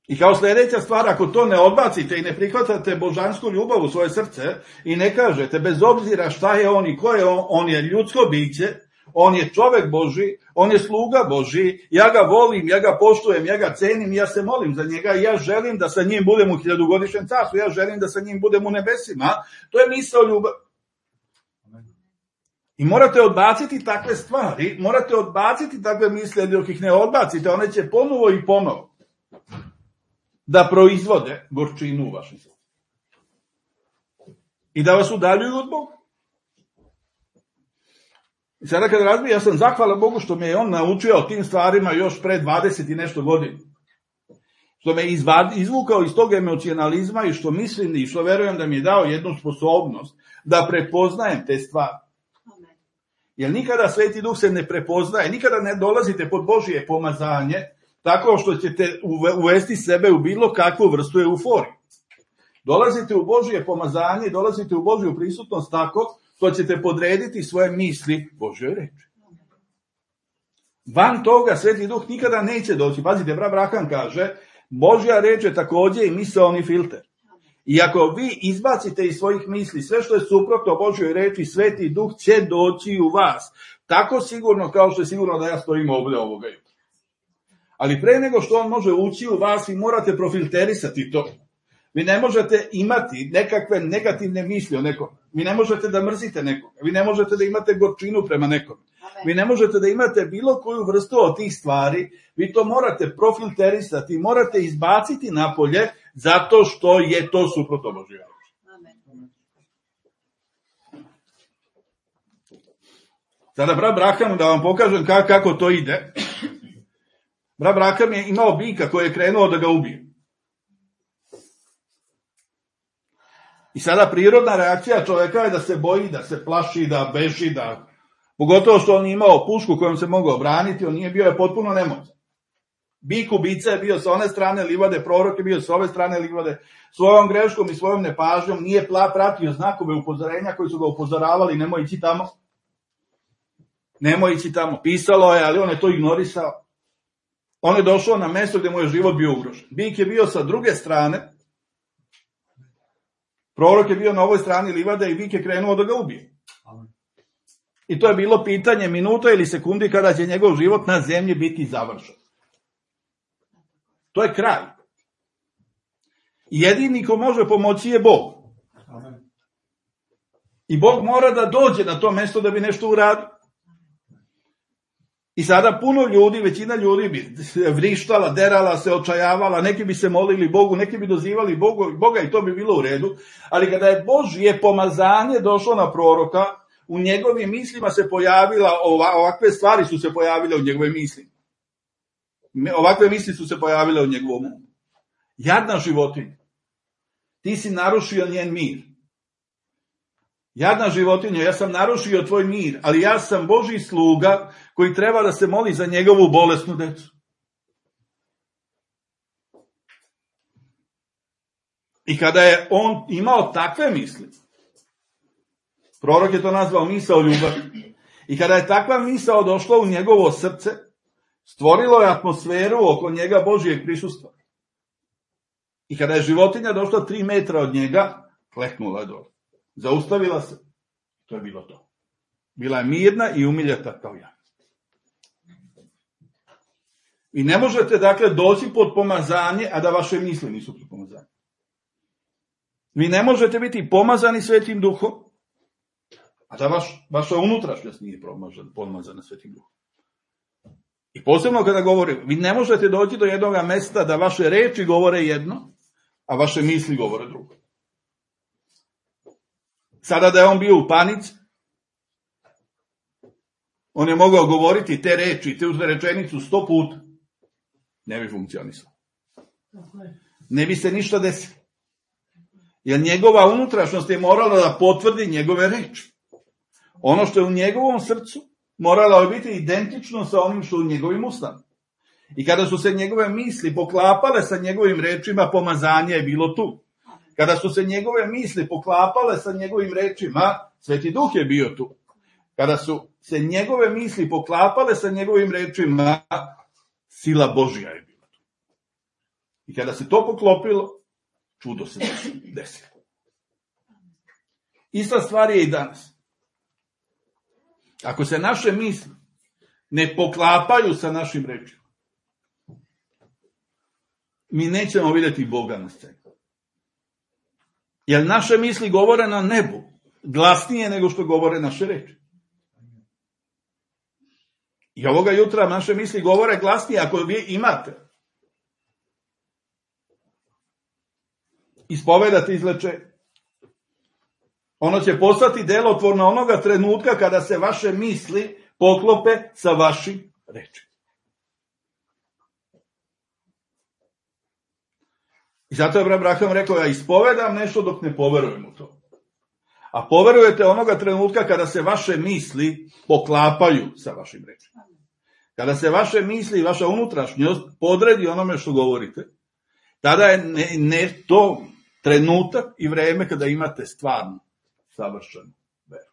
I kao sljedeća stvar, ako to ne odbacite i ne prihvatate božansku ljubav u svoje srce i ne kažete, bez obzira šta je on i ko je on je ljudsko biće, on je čovjek Božji, on je sluga Božji, ja ga volim, ja ga poštujem, ja ga cenim, ja se molim za njega i ja želim da sa njim budem u 1000-godišnjem carstvu, ja želim da sa njim budem u nebesima. To je misao ljubav. I morate odbaciti takve stvari, morate odbaciti takve misle, dok ih ne odbacite, one će ponovo i ponovo da proizvode gorčinu u vašem srcu. I da vas udaljuju od Boga. I sada kad razmišljam, ja sam zahvalan Bogu što me je on naučio o tim stvarima još pre 20 i nešto godina. Što me izvukao iz tog emocionalizma i što mislim i što verujem da mi je dao jednu sposobnost da prepoznajem te stvari. Jer nikada Sveti Duh se ne prepoznaje, nikada ne dolazite pod Božje pomazanje tako što ćete uvesti sebe u bilo kakvu vrstu euforije. Dolazite u Božje pomazanje, dolazite u Božju prisutnost tako što ćete podrediti svoje misli Božjoj reči. Van toga Sveti Duh nikada neće doći. Pazite, brat Braham kaže, Božja reč je također i misaoni filter. I ako vi izbacite iz svojih misli sve što je suprotno Božjoj reči, Sveti Duh će doći u vas. Tako sigurno kao što je sigurno da ja stojim ovdje ovoga jutra. Ali pre nego što on može ući u vas, vi morate profilterisati to. Vi ne možete imati nekakve negativne misli o nekom. Vi ne možete da mrzite nekog. Vi ne možete da imate gorčinu prema nekom. Vi ne možete da imate bilo koju vrstu od tih stvari. Vi to morate profilterisati, morate izbaciti napolje zato što je to suprotno Božjoj reči. Sada brat Braham, da vam pokažem kako to ide. Brat Braham je imao bika koji je krenuo da ga ubije. I sada prirodna reakcija čovjeka je da se boji, da se plaši, da beži, da... Pogotovo što on nije imao pušku kojom se mogao braniti, on nije bio je potpuno nemoćan. Bik ubica je bio sa one strane livade, prorok je bio sa ove strane livade. Svojom greškom i svojom nepažnjom nije pratio znakove upozorenja koji su ga upozoravali, nemoj ići tamo. Nemoj ići tamo. Pisalo je, ali on je to ignorisao. On je došao na mjesto gdje mu je život bio ugrožen. Bik je bio sa druge strane, prorok je bio na ovoj strani livade i bik je krenuo da ga ubije. I to je bilo pitanje minuta ili sekundi kada će njegov život na zemlji biti završen. To je kraj. I jedini ko može pomoći je Bog. I Bog mora da dođe na to mjesto da bi nešto uradio. I sada puno ljudi, većina ljudi bi vrištala, derala se, očajavala, neki bi se molili Bogu, neki bi dozivali Boga i to bi bilo u redu. Ali kada je Božje pomazanje došlo na proroka, u njegovim mislima se pojavila, ovakve stvari su se pojavile u njegovim mislima. Ovakve misli su se pojavile u njegovom umu. Jadna životinja, ti si narušio njen mir. Jadna životinja, ja sam narušio tvoj mir, ali ja sam Božji sluga koji treba da se moli za njegovu bolesnu decu. I kada je on imao takve misli, prorok je to nazvao misao ljubavi, i kada je takva misao došla u njegovo srce, stvorilo je atmosferu oko njega Božjeg prisustva. I kada je životinja došla 3 metra od njega, kleknula je dole. Zaustavila se. To je bilo to. Bila je mirna i umiljata kao ja. I ne možete, dakle, doći pod pomazanje, a da vaše misli nisu pod pomazanje. Vi ne možete biti pomazani Svetim Duhom, a da vaša unutrašnjost nije pomazana Svetim Duhom. I posebno kada govorim, vi ne možete doći do jednog mesta da vaše reči govore jedno, a vaše misli govore drugo. Sada da je on bio u panici, on je mogao govoriti te reči, te rečenicu 100 puta. Ne bi funkcionisalo. Ne bi se ništa desilo. Jer njegova unutrašnjost je morala da potvrdi njegove reči. Ono što je u njegovom srcu moralo je biti identično sa onim što je u njegovim ustima. I kada su se njegove misli poklapale sa njegovim rečima, pomazanje je bilo tu. Kada su se njegove misli poklapale sa njegovim rečima, Sveti Duh je bio tu. Kada su se njegove misli poklapale sa njegovim rečima, sila Božja je bila tu. I kada se to poklopilo, čudo se desilo. Ista stvar je i danas. Ako se naše misli ne poklapaju sa našim rečima, mi nećemo vidjeti Boga na sceni. Jer naše misli govore na nebu, glasnije nego što govore naše reči. I ovoga jutra naše misli govore glasnije ako vi imate ispovedati izlečenje. Ono će postati delotvorno onoga trenutka kada se vaše misli poklope sa vašim rečima. I zato je Abraham rekao, ja ispovedam nešto dok ne poverujem u to. A poverujete onoga trenutka kada se vaše misli poklapaju sa vašim rečima. Kada se vaše misli i vaša unutrašnjost podredi onome što govorite, tada je ne to trenutak i vreme kada imate stvarno savršenu veru.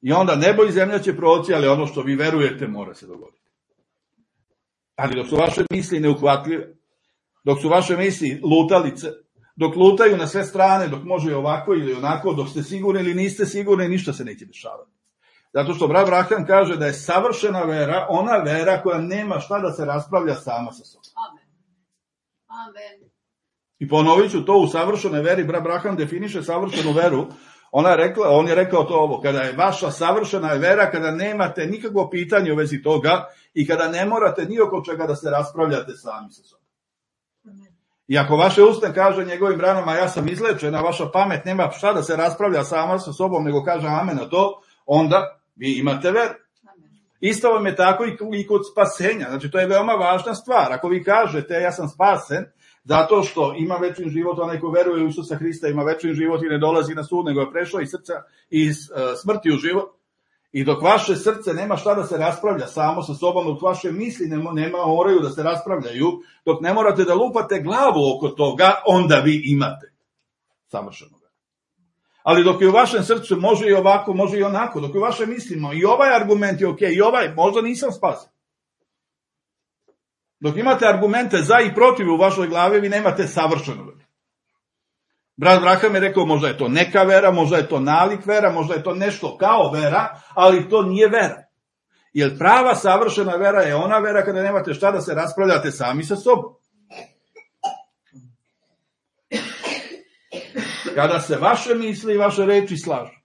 I onda nebo i zemlja će proći, ali ono što vi verujete mora se dogoditi. Ali dok su vaše misli neuhvatljive, dok su vaše misli lutalice, dok lutaju na sve strane, dok može i ovako ili onako, dok ste sigurni ili niste sigurni, ništa se neće dešavati. Zato što brat Abraham kaže da je savršena vera ona vera koja nema šta da se raspravlja sama sa sobom. Amen. Amen. I ponovit ću to, u savršenoj veri brat Abraham definiše savršenu veru. On je rekao to ovo, kada je vaša savršena vera, kada nemate nikakvo pitanje u vezi toga i kada ne morate ni oko čega da se raspravljate sami sa sobom. I ako vaše usta kaže njegovim ranama ja sam izlečena, vaša pamet nema šta da se raspravlja sama sa sobom, nego kaže amen na to, onda vi imate veru. Isto vam je tako i kod spasenja. Znači to je veoma važna stvar. Ako vi kažete ja sam spasen, zato što ima večni život, onaj ko veruje u Isusa Hrista ima večni život i ne dolazi na sud, nego je prešao iz smrti u život. I dok vaše srce nema šta da se raspravlja samo sa sobom, dok vaše misli moraju da se raspravljaju, dok ne morate da lupate glavu oko toga, onda vi imate savršeno veru. Ali dok je u vašem srcu može i ovako, može i onako, dok je u vašem mislimo i ovaj argument je ok, i ovaj, možda nisam spasen. Dok imate argumente za i protiv u vašoj glavi, vi nemate savršenu veru. Brat Abraham je rekao, možda je to neka vera, možda je to nalik vera, možda je to nešto kao vera, ali to nije vera. Jer prava savršena vera je ona vera kada nemate šta da se raspravljate sami sa sobom. Kada se vaše misli i vaše reči slažu.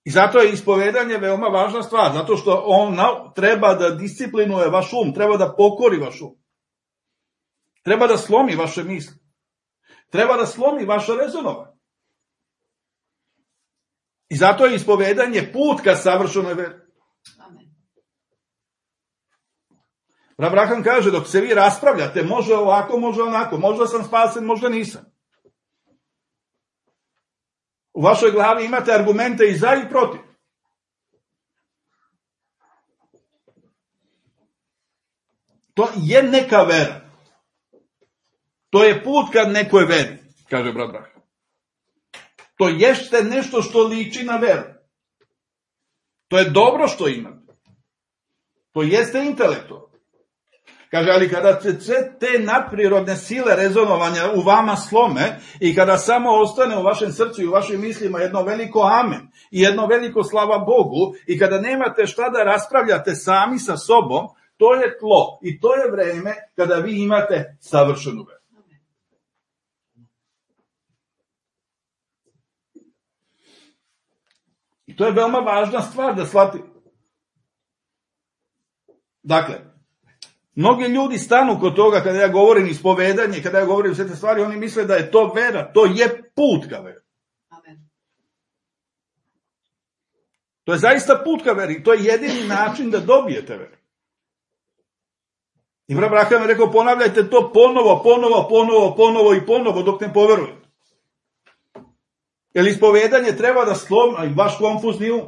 I zato je ispovedanje veoma važna stvar, zato što on treba da disciplinuje vaš um, treba da pokori vaš um. Treba da slomi vaše misli. Treba da slomi vaše rezonovanje. I zato je ispovedanje put ka savršenoj veri. Abraham kaže, dok se vi raspravljate, može ovako, može onako, možda sam spasen, možda nisam. U vašoj glavi imate argumente i za i protiv. To je neka vera. To je put ka nekoj veri, kaže brat Abraham. To jeste nešto što liči na veru. To je dobro što imate. To jeste intelektualno. Kaže, ali kada se te nadprirodne sile rezonovanja u vama slome i kada samo ostane u vašem srcu i u vašim mislima jedno veliko amen i jedno veliko slava Bogu i kada nemate šta da raspravljate sami sa sobom, to je tlo i to je vreme kada vi imate savršenu veru. To je veoma važna stvar da shvatimo. Dakle, mnogi ljudi stanu kod toga kada ja govorim ispovedanje, kada ja govorim sve te stvari, oni misle da je to vera, to je put ka veri. To je zaista put ka veri, to je jedini način da dobijete veru. I brat Braham je rekao, ponavljajte to ponovo dok ne poverujete. Jer ispovedanje treba da slomi vaš konfuzni um.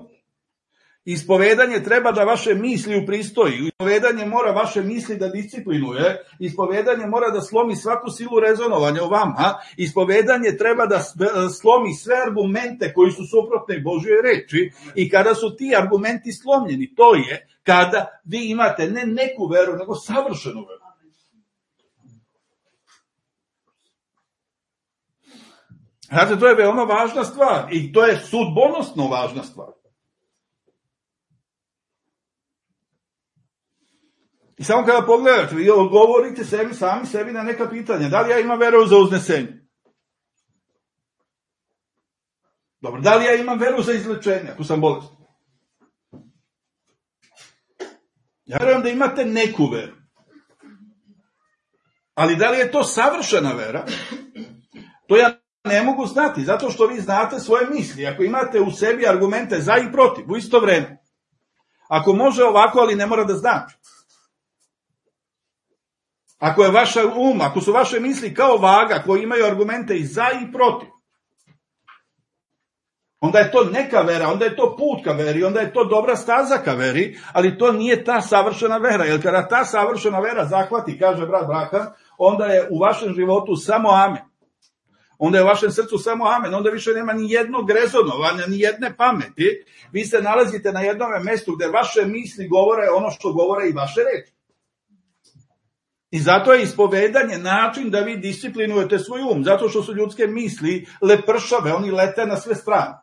Ispovedanje treba da vaše misli upristoji. Ispovedanje mora vaše misli da disciplinuje. Ispovedanje mora da slomi svaku silu rezonovanja u vama. Ispovedanje treba da slomi sve argumente koji su suprotni Božjoj reči. I kada su ti argumenti slomljeni, to je kada vi imate ne neku veru, nego savršenu veru. Znate, to je veoma važna stvar i to je sudbonosno važna stvar. I samo kada pogledate, vi odgovorite sami sebi na neka pitanja. Da li ja imam veru za uznesenje? Dobro, da li ja imam veru za izlečenje, ako sam bolestan? Ja verujem da imate neku veru. Ali da li je to savršena vera? To ja ne mogu znati, zato što vi znate svoje misli. Ako imate u sebi argumente za i protiv, u isto vreme. Ako može ovako, ali ne mora da znači. Ako je vaša ako su vaše misli kao vaga koji imaju argumente i za i protiv, onda je to neka vera, onda je to put ka veri, onda je to dobra staza ka veri, ali to nije ta savršena vera. Jer kada ta savršena vera zahvati, kaže brat Braham, onda je u vašem životu samo amen. Onda je u vašem srcu samo amen, onda više nema ni jednog rezonovanja, ni jedne pameti. Vi se nalazite na jednom mestu gde vaše misli govore ono što govore i vaše reči. I zato je ispovedanje način da vi disciplinujete svoj um, zato što su ljudske misli lepršave, oni lete na sve strane.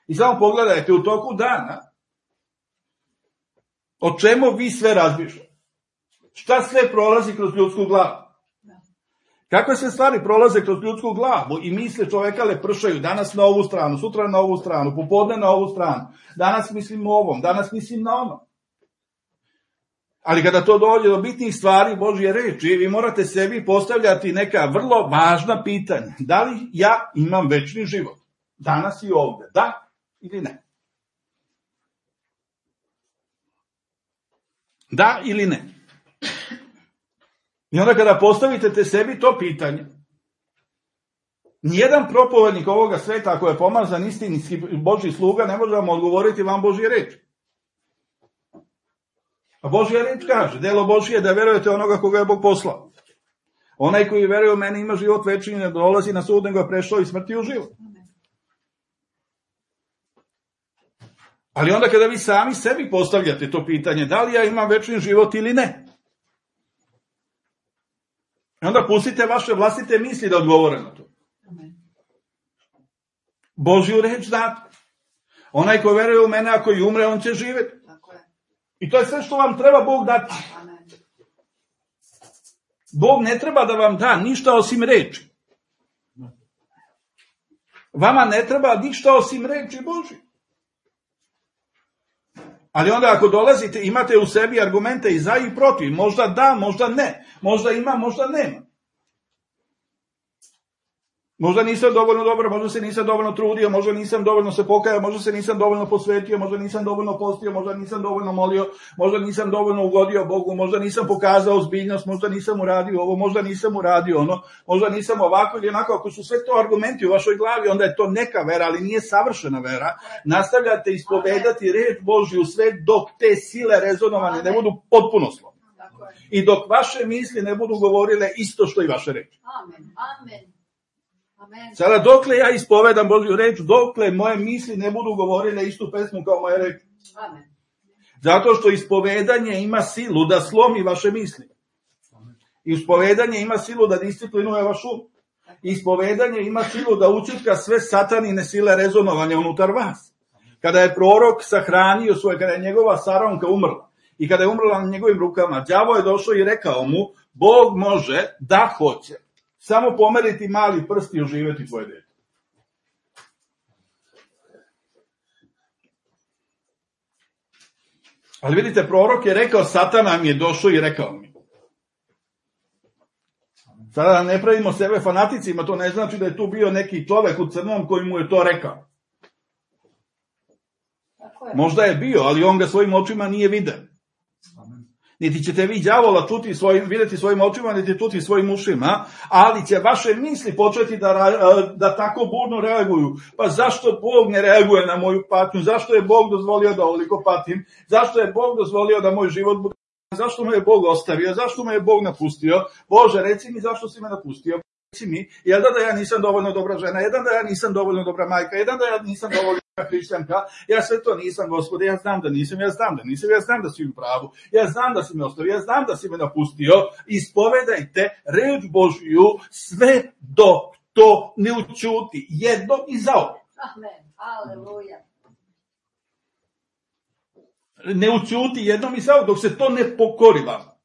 I samo pogledajte u toku dana o čemu vi sve razmišljate. Šta sve prolazi kroz ljudsku glavu? Kakve sve stvari prolaze kroz ljudsku glavu i misle čoveka lepršaju, danas na ovu stranu, sutra na ovu stranu, popodne na ovu stranu, danas mislim o ovom, danas mislim na onom. Ali kada to dođe do bitnih stvari Božje reči, vi morate sebi postavljati neka vrlo važna pitanja. Da li ja imam večni život? Danas i ovde. Da ili ne? Da ili ne? I onda kada postavite sebi to pitanje, nijedan propovednik ovoga sveta, ako je pomazan istinski Božji sluga, ne može vam odgovoriti vam Božje reči. A Božja reč kaže, delo Božje je da verujete onoga koga je Bog poslao. Onaj koji veruje u mene ima život večni, ne dolazi na sud, nego je prešao iz smrti u život. Ali onda kada vi sami sebi postavljate to pitanje, da li ja imam večni život ili ne? I onda pustite vaše vlastite misli da odgovore na to. Božju reč znate. Onaj ko veruje u mene, ako i umre, on će živjeti. I to je sve što vam treba Bog dati. Bog ne treba da vam da ništa osim reči. Vama ne treba ništa osim reči Božje. Ali onda ako dolazite, imate u sebi argumente i za i protiv. Možda da, možda ne. Možda ima, možda nema. Možda nisam dovoljno dobar, možda se nisam dovoljno trudio, možda nisam dovoljno se pokajao, možda se nisam dovoljno posvetio, možda nisam dovoljno postio, možda nisam dovoljno molio, možda nisam dovoljno ugodio Bogu, možda nisam pokazao ozbiljnost, možda nisam uradio ovo, možda nisam uradio ono, možda nisam ovako ili onako. Ako su sve to argumenti u vašoj glavi, onda je to neka vera, ali nije savršena vera. Nastavljate ispovedati reč Božju sve dok te sile rezonovane ne budu potpuno slobodne. I dok vaše misli ne budu govorile isto što i vaše reči. Amen. Amen. Sada dokle ja ispovedam Božju reč, dokle moje misli ne budu govorile istu pesmu kao moje reči. Zato što ispovedanje ima silu da slomi vaše misli. Ispovedanje ima silu da disciplinuje vaš um. Ispovedanje ima silu da ućutka sve satanine sile rezonovanja unutar vas. Kada je prorok sahranio svoje, kada je njegova Saronka umrla i kada je umrla na njegovim rukama, đavo je došao i rekao mu, Bog može da hoće samo pomeriti mali prst i oživjeti tvoje dete. Ali vidite, prorok je rekao, Satan mi je došao i rekao mi. Sada ne pravimo sebe fanaticima, to ne znači da je tu bio neki čovek u crnom koji mu je to rekao. Možda je bio, ali on ga svojim očima nije vidio. Niti ćete vi đavola vidjeti svojim očima, niti čuti svojim ušima, ali će vaše misli početi da tako burno reaguju. Pa zašto Bog ne reaguje na moju patnju? Zašto je Bog dozvolio da ovoliko patim? Zašto je Bog dozvolio da moj život bude? Zašto me je Bog ostavio? Zašto me je Bog napustio? Bože, reci mi zašto si me napustio? Reci mi, jedan da ja nisam dovoljno dobra žena, jedan da ja nisam dovoljno dobra majka, jedan da ja nisam dovoljno hrišćanka, ja sve to nisam, Gospode, ja znam da nisam, ja znam da si u pravu, ja znam da si me ostavio, ja znam da si me napustio. Ispovedajte reč Božju sve dok to ne učuti, jednom i zauvek. Amen, aleluja. Ne učuti jednom i zauvek, dok se to ne pokori vam.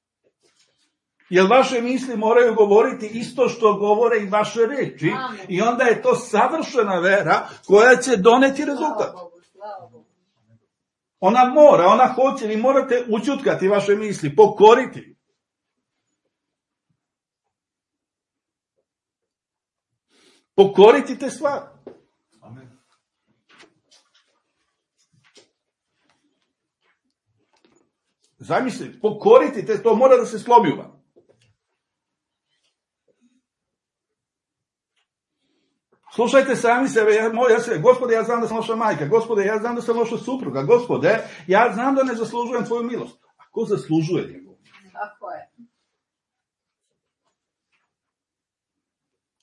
Jer vaše misli moraju govoriti isto što govore i vaše reči. Amen. I onda je to savršena vera koja će doneti rezultat. Ona hoće, vi morate učutkati vaše misli, pokoriti. Pokoriti te stvari. Amen. Zamisli, pokoriti te, to mora da se slomi u vam. Slušajte sami sebe, Gospode, ja znam da sam loša majka, Gospode, ja znam da sam loša supruga, Gospode, ja znam da ne zaslužujem tvoju milost. A ko zaslužuje njegovu? Tako je.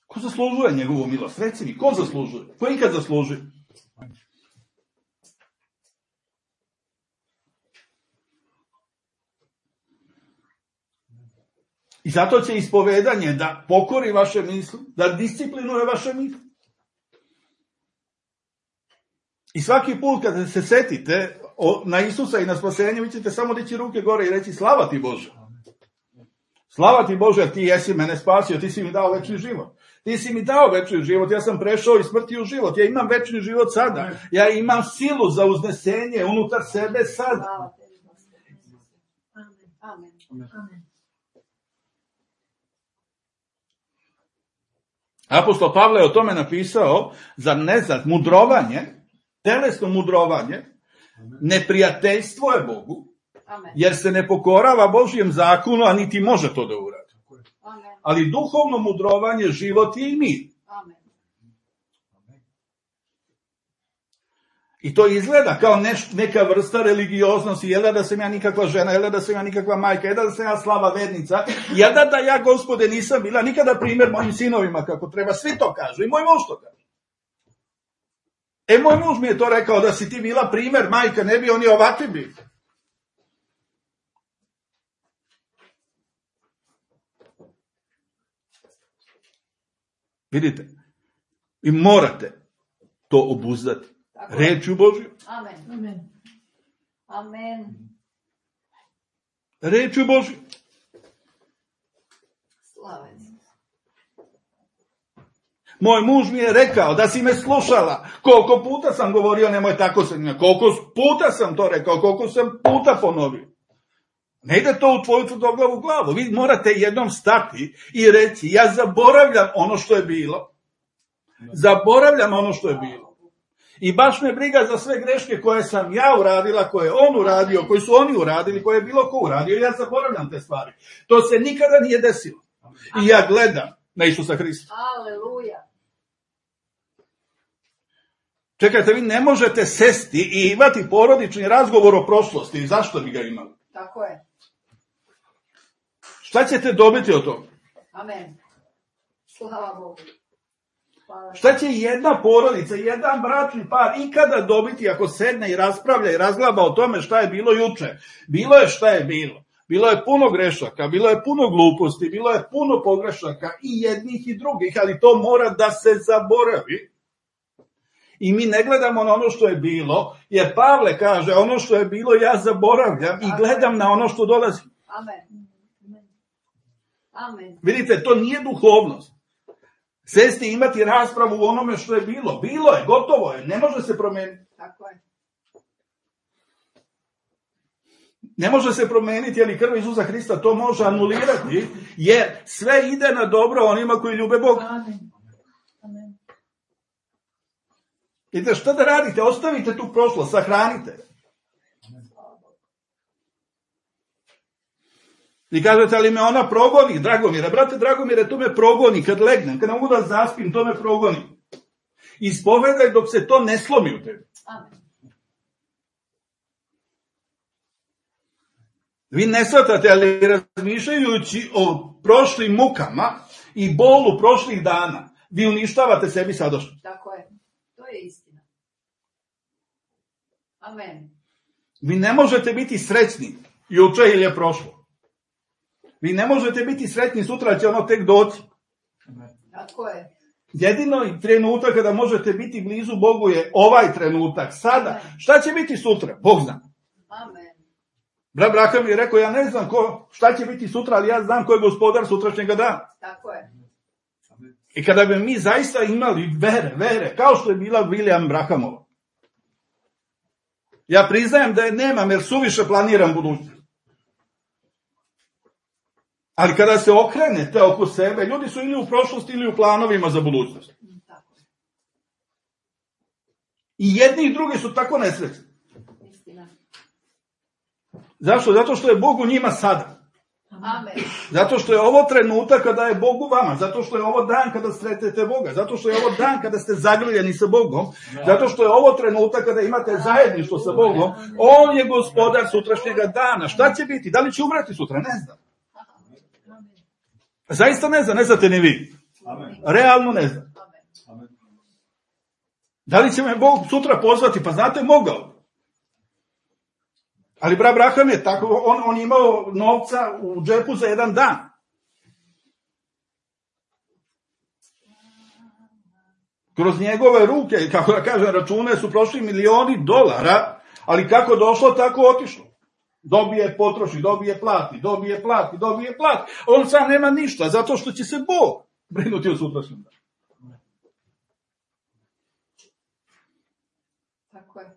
Ko zaslužuje njegovu milost? Reci mi, ko zaslužuje? Ko ikad zaslužuje? I zato će ispovedanje da pokori vaše misli, da disciplinuje vaše misli. I svaki put kada se setite na Isusa i na spasenje, vi ćete samo dići ruke gore i reći slava ti Bože. Slava ti Bože, ti jesi mene spasio, ti si mi dao večni život. Ti si mi dao večni život, ja sam prešao iz smrti u život, ja imam večni život sada. Ja imam silu za uznesenje unutar sebe sada. Amen. Amen. Apostol Pavle je o tome napisao, zar ne znate, mudrovanje, telesno mudrovanje, neprijateljstvo je Bogu, jer se ne pokorava Božjem zakonu, a niti može to da uradi. Ali duhovno mudrovanje, život je i mir. I to izgleda kao neka vrsta religioznosti, jel da sam ja nikakva žena, jel da sam ja nikakva majka, jel da sam ja slaba vernica, jel da ja, Gospode, nisam bila nikada primjer mojim sinovima kako treba, svi to kažu i moj muž to kaže. Moj muž mi je to rekao, da si ti bila primjer majka, ne bi oni ovakvi bili. Vidite, vi morate to obuzdati. Rečju Božju. Amen. Amen. Amen. Rečju Božju. Slaven. Moj muž mi je rekao da si me slušala. Koliko puta sam govorio, nemoj tako se njima. Koliko puta sam to rekao, koliko sam puta ponovio. Ne ide to u tvoju tvrdoglavu glavu. Vi morate jednom stati i reći, ja zaboravljam ono što je bilo. Zaboravljam ono što je bilo. I baš me briga za sve greške koje sam ja uradila, koje je on uradio, koji su oni uradili, koje je bilo ko uradio. Ja zaboravljam te stvari. To se nikada nije desilo. I ja gledam na Isusa Hrista. Aleluja. Čekajte, vi ne možete sesti i imati porodični razgovor o prošlosti. Zašto bi ga imali? Tako je. Šta ćete dobiti od toga? Amen. Slava Bogu. Šta će jedna porodica, jedan bračni par ikada dobiti ako sedne i raspravlja i razglaba o tome šta je bilo juče? Bilo je šta je bilo. Bilo je puno grešaka, bilo je puno gluposti, bilo je puno pogrešaka i jednih i drugih, ali to mora da se zaboravi. I mi ne gledamo na ono što je bilo, jer Pavle kaže, ono što je bilo ja zaboravljam i gledam na ono što dolazi. Amen. Amen. Vidite, to nije duhovnost. Sesti i imati raspravu u onome što je bilo. Bilo je, gotovo je, ne može se promeniti. Tako je. Ne može se promijeniti, ali krv Isusa Hrista to može anulirati, jer sve ide na dobro onima koji ljube Boga. Amen. Vidite, šta da radite? Ostavite tu prošlost, sahranite. I kažete, ali me ona progoni, Dragomire. Brate Dragomire, to me progoni kad legnem, kad ne mogu da zaspim, to me progoni. Ispovedaj dok se to ne slomi u tebi. Amen. Vi ne shvatate, ali razmišljajući o prošlim mukama i bolu prošlih dana, vi uništavate sebi sadašnjost. Tako je. To je istina. Amen. Vi ne možete biti srećni juče ili je prošlo. Vi ne možete biti sretni sutra, će ono tek doći. Tako je. Jedino trenutak kada možete biti blizu Bogu je ovaj trenutak, sada. Šta će biti sutra? Bog zna. Amen. Brat Braka mi je rekao, ja ne znam šta će biti sutra, ali ja znam ko je gospodar sutrašnjega dana. Tako je. I kada bi mi zaista imali vere, kao što je bila William Brahamova. Ja priznajem da je nemam, jer suviše planiram budućnost. Ali kada se okrenete oko sebe, ljudi su ili u prošlosti ili u planovima za budućnost. Tako je. I jedni i drugi su tako nesrećni. Istina. Zašto? Zato što je Bog u njima sada. Amen. Zato što je ovo trenutak kada je Bog u vama. Zato što je ovo dan kada sretete Boga. Zato što je ovo dan kada ste zagrljeni sa Bogom. Zato što je ovo trenutak kada imate zajedništvo sa Bogom. On je gospodar sutrašnjega dana. Šta će biti? Da li će umreti sutra? Ne znam. Zaista ne znam, ne znate ni vi. Realno ne znam. Da li će me Bog sutra pozvati? Pa znate, mogao. Ali brat Braham je tako, on je imao novca u džepu za jedan dan. Kroz njegove ruke, kako da kažem, račune su prošli milioni dolara, ali kako došlo, tako otišlo. Dobije, potroši, dobije, plati. On sam nema ništa, zato što će se Bog brinuti o sutrašnjem danu.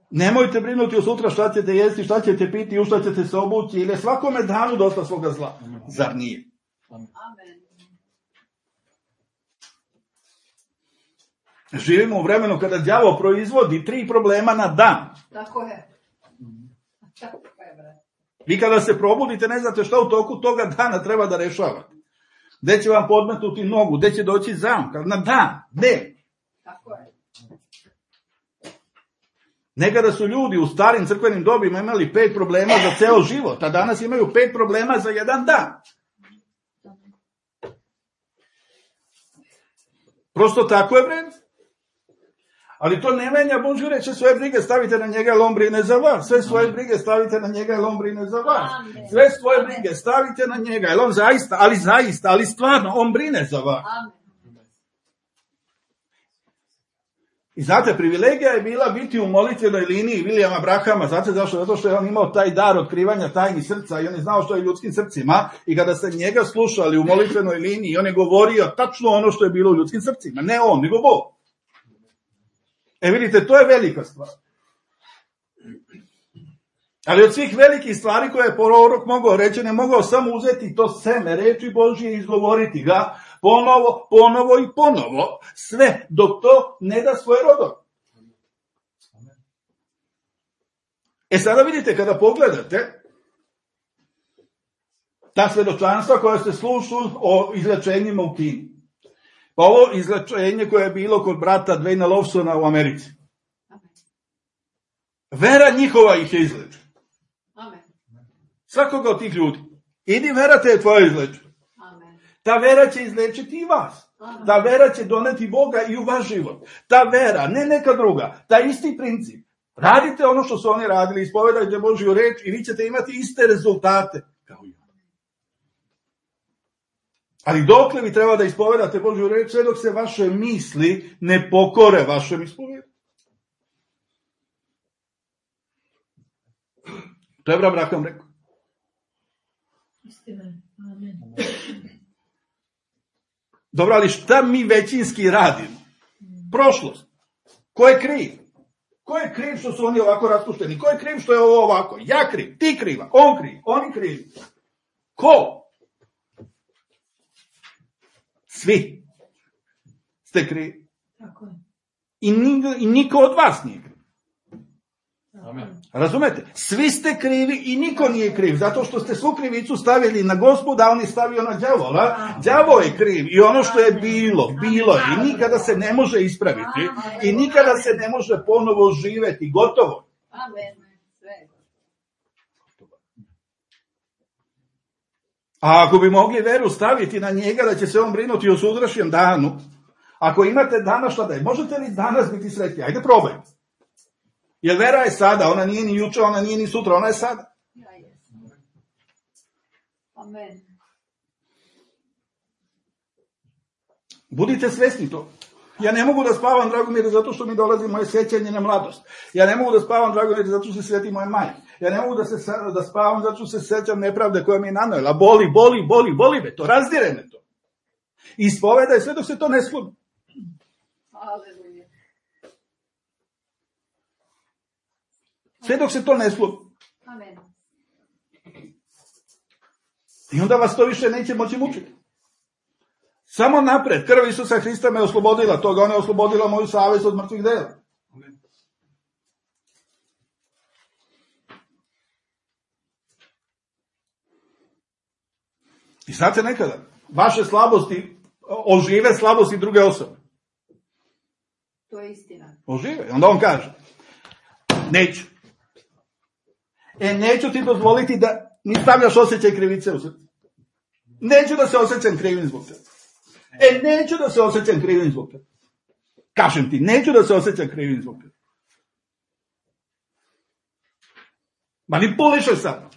Nemojte brinuti o sutra šta ćete jesti, šta ćete piti, u šta ćete se obući, ili je svakome danu dosta svoga zla. Zar nije? Amen. Živimo u vremenu kada đavo proizvodi 3 problema na dan. Tako je. Tako je, bre. Vi kada se probudite, ne znate šta u toku toga dana treba da rešavate. Gde će vam podmetnuti nogu, gde će doći zamka, na dan, gde? Tako je. Nekada su ljudi u starim crkvenim dobima imali 5 problema za ceo život, a danas imaju 5 problema za jedan dan. Prosto tako je vredno. Ali to ne menja Božju reč, svoje brige stavite na njega, jer on brine za vas. Sve svoje brige stavite na njega, jer on brine za vas. Sve svoje brige stavite na njega, jer on zaista, ali stvarno, on brine za vas. I znate, privilegija je bila biti u molitvenoj liniji Williama Brahama. Znate zašto? Zato što je on imao taj dar otkrivanja tajnih srca i on je znao što je ljudskim srcima. I kada ste njega slušali u molitvenoj liniji, on je govorio tačno ono što je bilo u ljudskim srcima. Ne on, nego Bog. Vidite, to je velika stvar. Ali od svih velikih stvari koje je prorok mogao reći, ne mogao samo uzeti to seme reči Božije i izgovoriti ga ponovo i ponovo, sve dok to ne da svoje rodove. Sada vidite, kada pogledate ta svedočanstva koja se slušu o izlečenjima u Kini. Pa ovo izlečenje koje je bilo kod brata Dwayna Lawsona u Americi. Vera njihova ih je izlečena. Svakoga od tih ljudi. Idi, vera te je tvoja izlečena. Ta vera će izlečiti i vas. Ta vera će doneti Boga i u vaš život. Ta vera, ne neka druga, ta isti princip. Radite ono što su oni radili, ispovedajte Božju reč i vi ćete imati iste rezultate kao i oni. Ali dokle vi treba da ispovedate Božju reč, sve dok se vaše misli ne pokore vašem ispovedanju. To je brat Braham rekao. Istina. Amen. Dobro, ali šta mi većinski radimo? Prošlost. Ko je kriv? Ko je kriv što su oni ovako raspušteni? Ko je kriv što je ovo ovako? Ja kriv, ti kriva, on kriv, oni krivi. Ko? Svi ste krivi. Tako je. I niko od vas nije kriv. Amen. Razumete? Svi ste krivi i niko nije kriv, zato što ste svu krivicu stavili na Gospoda, a on je stavio na đavola. Đavo je kriv i ono što je bilo je i nikada se ne može ispraviti i nikada se ne može ponovo živeti, gotovo. Amen. Sve. A ako bi mogli veru staviti na njega da će se on brinuti o sutrašnjem danu, ako imate danas šta da je, možete li danas biti sretni? Ajde probajte. Jer vera je sada, ona nije ni juče, ona nije ni sutra, ona je sada. Ja jesam. Amen. Budite svesni to. Ja ne mogu da spavam, Dragomire, zato što mi dolazi moje sjećanje na mladost. Ja ne mogu da spavam, Dragomire, zato što se sjeti moje majke. Ja ne mogu da spavam, zato što se sjećam nepravde koja mi je nanojela. Boli me to, razdire me to. Ispovedaj sve dok se to ne sludi. Aleluja. Sve dok se to ne sludi. Amen. I onda vas to više neće moći mučiti. Samo napred, krv Isusa Hrista me oslobodila toga, ona je oslobodila moju savest od mrtvih dela. I znate nekada, vaše slabosti ožive slabosti druge osobe. To je istina. Ožive. Onda on kaže, neću. Neću ti dozvoliti da mi stavljaš osjećaj krivice u srce. Neću da se osjećam krivim zbog tebe. Neću da se osjećam krivim zbog tebe. Kažem ti, neću da se osjećam krivim zbog tebe. Manipulišeš sad.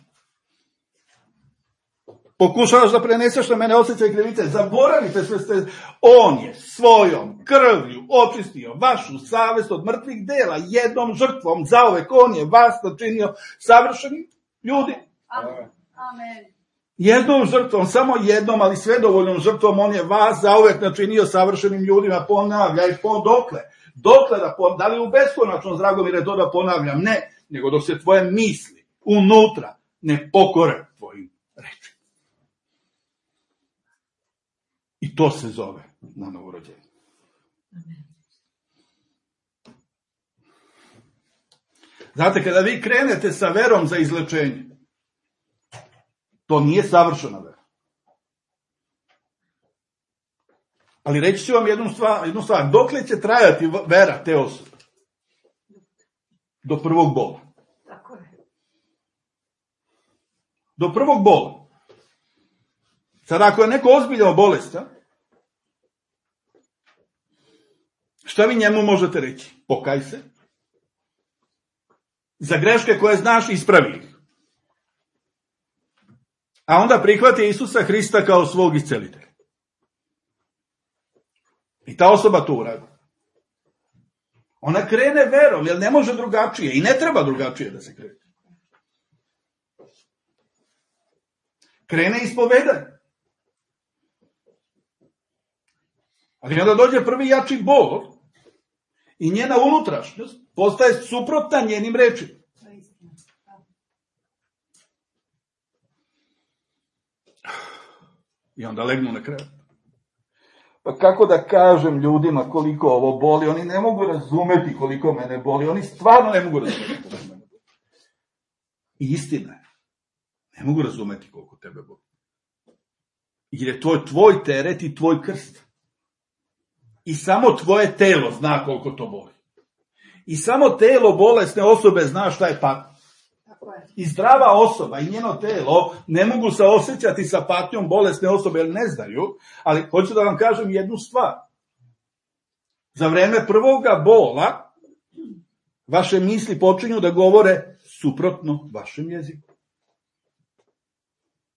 Pokušavaš da preneseš na mene osjećaj krivice. Zaboravite sve ste. On je svojom krvlju očistio vašu savest od mrtvih dela. Jednom žrtvom zauvek on je vas načinio savršenim ljudi. Amen. Jednom žrtvom, samo jednom, ali svedovoljnom žrtvom, on je vas zauvek načinio savršenim ljudima. Ponavljaj, dokle? Dokle da li u beskonačnom, Dragomire, to da ponavljam? Ne, nego dok se tvoje misli unutra ne pokore tvojim rečima. I to se zove na novorođenje. Znate, kada vi krenete sa verom za izlečenje, to nije savršena vera. Ali reći ću vam jednu stvar. Dokle će trajati vera te osobe? Do prvog bola. Tako je. Do prvog bola. Sad ako je neko ozbiljno bolest, šta vi njemu možete reći? Pokaj se. Za greške koje znaš, ispravi ih. A onda prihvati Isusa Hrista kao svog iscelitelja. I ta osoba to uradi. Ona krene verom, jer ne može drugačije i ne treba drugačije da se krene. Krene ispovedanje. Ali onda dođe prvi jači bol i njena unutrašnjost postaje suprotna njenim rečima. I onda legnu na krevet. Pa kako da kažem ljudima koliko ovo boli? Oni ne mogu razumeti koliko mene boli. Oni stvarno ne mogu razumeti koliko mene boli. I istina je. Ne mogu razumeti koliko tebe boli. Jer je to tvoj teret i tvoj krst. I samo tvoje telo zna koliko to boli. I samo telo bolesne osobe zna šta je patnja. I zdrava osoba i njeno telo ne mogu se osjećati sa patnjom bolesne osobe jer ne znaju, ali hoću da vam kažem jednu stvar. Za vreme prvoga bola vaše misli počinju da govore suprotno vašem jeziku.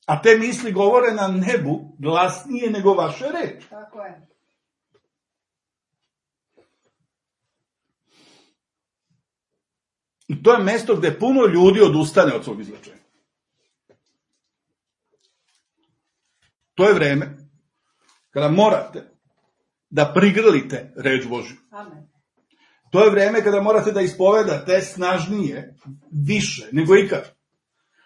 A te misli govore na nebu glasnije nego vaše reči. Tako je. I to je mesto gde puno ljudi odustane od svog izlečenja. To je vreme kada morate da prigrlite reč Božju. Amen. To je vreme kada morate da ispovedate snažnije, više nego ikad.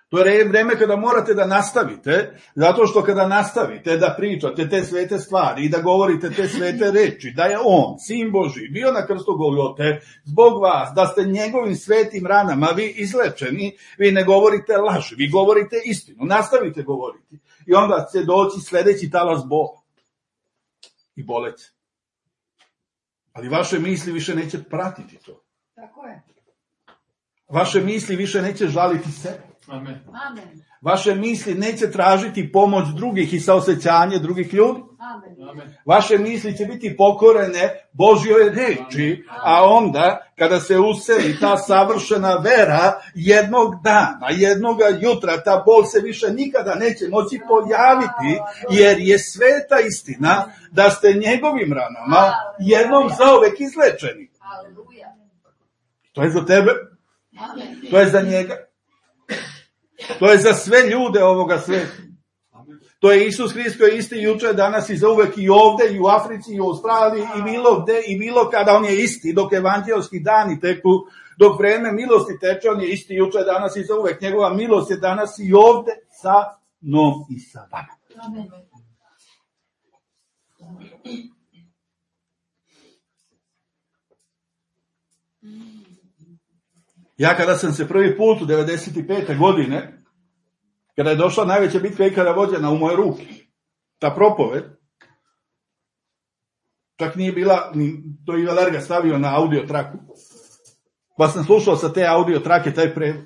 To je vreme kada morate da nastavite, zato što kada nastavite da pričate te svete stvari i da govorite te svete reči, da je on, Sin Božji, bio na krstu Golgote zbog vas, da ste njegovim svetim ranama vi izlečeni, vi ne govorite laži, vi govorite istinu, nastavite govoriti. I onda će doći sledeći talas bola i boleti. Ali vaše misli više neće pratiti to. Tako je. Vaše misli više neće žaliti sebe. Amen. Amen. Vaše misli neće tražiti pomoć drugih i saosećanje drugih ljudi. Amen. Vaše misli će biti pokorene Božjoj reči, a onda, kada se useli ta savršena vera, jednog dana, jednoga jutra, ta bol se više nikada neće moći pojaviti, jer je sveta istina da ste njegovim ranama jednom zauvek izlečeni. Aleluja. To je za tebe, Amen. to je za njega. To je za sve ljude ovoga sveta. To je Isus Hrist koji je isti juče, danas i zauvek i ovde, i u Africi, i u Australiji, i bilo gde, i bilo kada. On je isti, dok evanđelski dani teku, dok vreme milosti teče, on je isti juče, danas i zauvek. Njegova milost je danas i ovde sa mnom i sa vama. Amen. Ja kada sam se prvi put u 95. godine, kada je došla najveća bitka ikada vođena u moje ruke, ta propoved, čak nije bila, to je Valerga stavio na audio traku, pa sam slušao sa te audio trake taj prevod.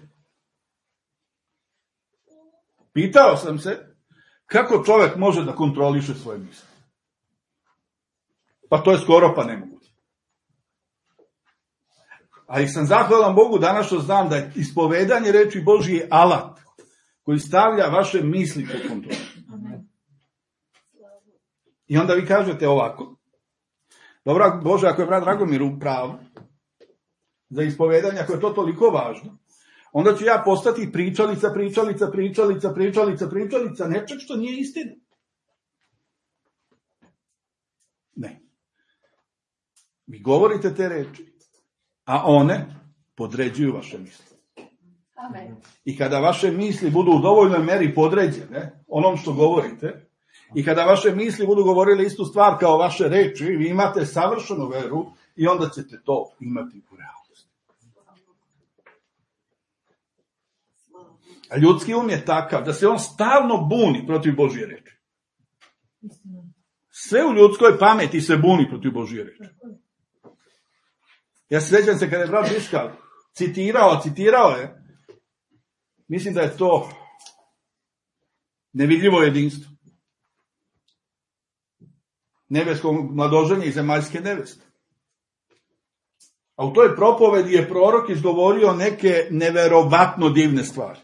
Pitao sam se kako čovjek može da kontroliše svoje misli. Pa to je skoro pa nemoguće. Ali sam zahvalan Bogu danas što znam da je ispovedanje reči Božije alat koji stavlja vaše misli pod kontrolu. I onda vi kažete ovako: dobro, Bože, ako je brat Dragomir u pravu za ispovedanje, ako je to toliko važno, onda ću ja postati pričalica nečeg što nije istina. Ne. Vi govorite te reči, a one podređuju vaše misli. Amen. I kada vaše misli budu u dovoljnoj meri podređene onom što govorite, i kada vaše misli budu govorile istu stvar kao vaše reči, vi imate savršenu veru i onda ćete to imati u realnosti. A ljudski um je takav da se on stalno buni protiv Božje reči. Sve u ljudskoj pameti se buni protiv Božje reči. Ja se sjećam se kada je brat Biskal citirao je, mislim da je to nevidljivo jedinstvo. Nebeskog mladoženja i zemaljske neveste. A u toj propovedi je prorok izgovorio neke neverovatno divne stvari.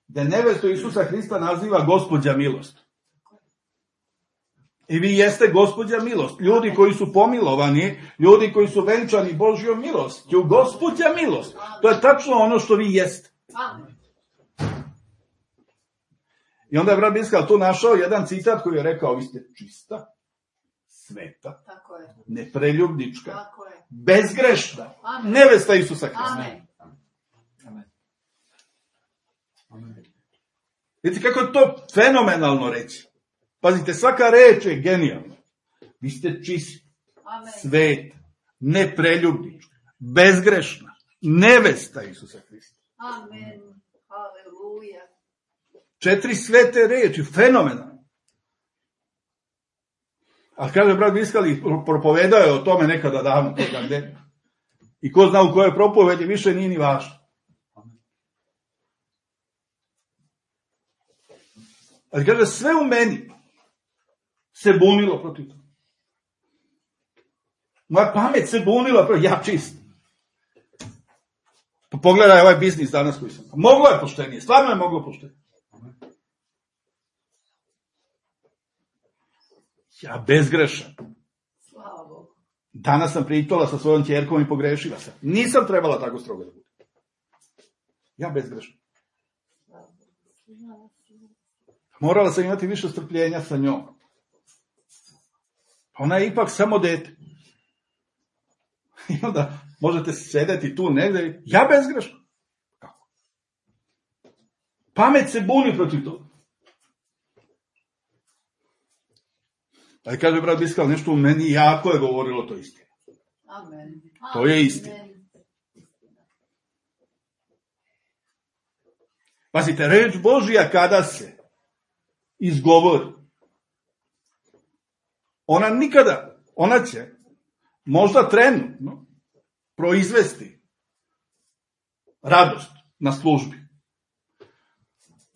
Da nevestu Isusa Hrista naziva Gospođa milost. I vi jeste Gospođa milost. Ljudi koji su pomilovani, ljudi koji su venčani Božjom milostju, Gospođa milost. To je tačno ono što vi jeste. I onda je brat Biskal tu našao jedan citat koji je rekao: vi ste čista, sveta, nepreljubnička, bezgrešna, nevesta Isusa Hrista. Vidite kako je to fenomenalno reći. Pazite, svaka reč je genijalna. Vi ste čisti, sveta, nepreljubnička, bezgrešna, nevesta Isusa Hrista. Amen. Haleluja. 4 svete reči, fenomenalno. A kaže brat Biskali, propovedao je o tome nekada davno, toga gde. I ko zna u kojoj propovedi, više nije ni važno. Ali kaže, sve u meni se bunilo protiv toga. Moja pamet se bunila protiv, ja čist. Pa pogledaj ovaj biznis danas koji sam. Moglo je poštenije, stvarno je moglo poštenije. Ja bezgrešan. Slava Bogu. Danas sam pričala sa svojom ćerkom i pogrešila sam. Nisam trebala tako strogo da bude. Ja bezgrešan. Morala sam imati više strpljenja sa njom. Ona je ipak samo dete. I onda možete sedeti tu negdje, ja bezgrešno. Kako? Pamet se buni protiv toga. Ali kaže brat Biskal, nešto u meni jako je govorilo to istina. Amen. To je istina. Pazite, reč Božja kada se izgovori, ona će možda trenutno proizvesti radost na službi.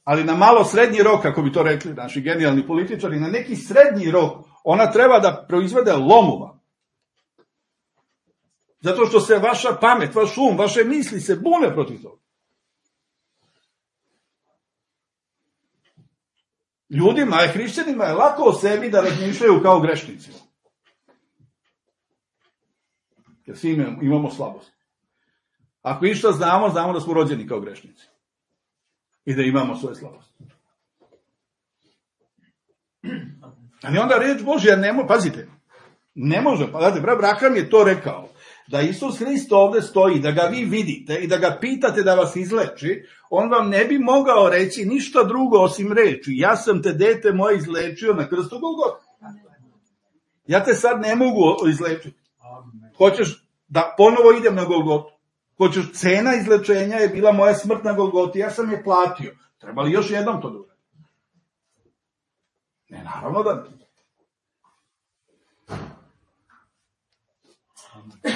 Ali na malo srednji rok, kako bi to rekli naši genijalni političari, na neki srednji rok, ona treba da proizvede lomova. Zato što se vaša pamet, vaš vaše misli se bune protiv toga. Ljudima, a hrišćanima je lako o sebi da razmišljaju kao grešnici. Jer svi imamo slabost. Ako išta znamo da smo rođeni kao grešnici. I da imamo svoje slabosti. Ali onda reč Božja pazite, ne može, brat Braham je to rekao, da Isus Hrist ovdje stoji, da ga vi vidite i da ga pitate da vas izleči, on vam ne bi mogao reći ništa drugo osim reči. Ja sam te, dete moje, izlečio na krstu Golgota. Ja te sad ne mogu izlečiti. Hoćeš da ponovo idem na Golgotu? Hoćeš, cena izlečenja je bila moja smrt na Golgoti, ja sam je platio. Treba li još jednom to da uradim? Ne, naravno da ne.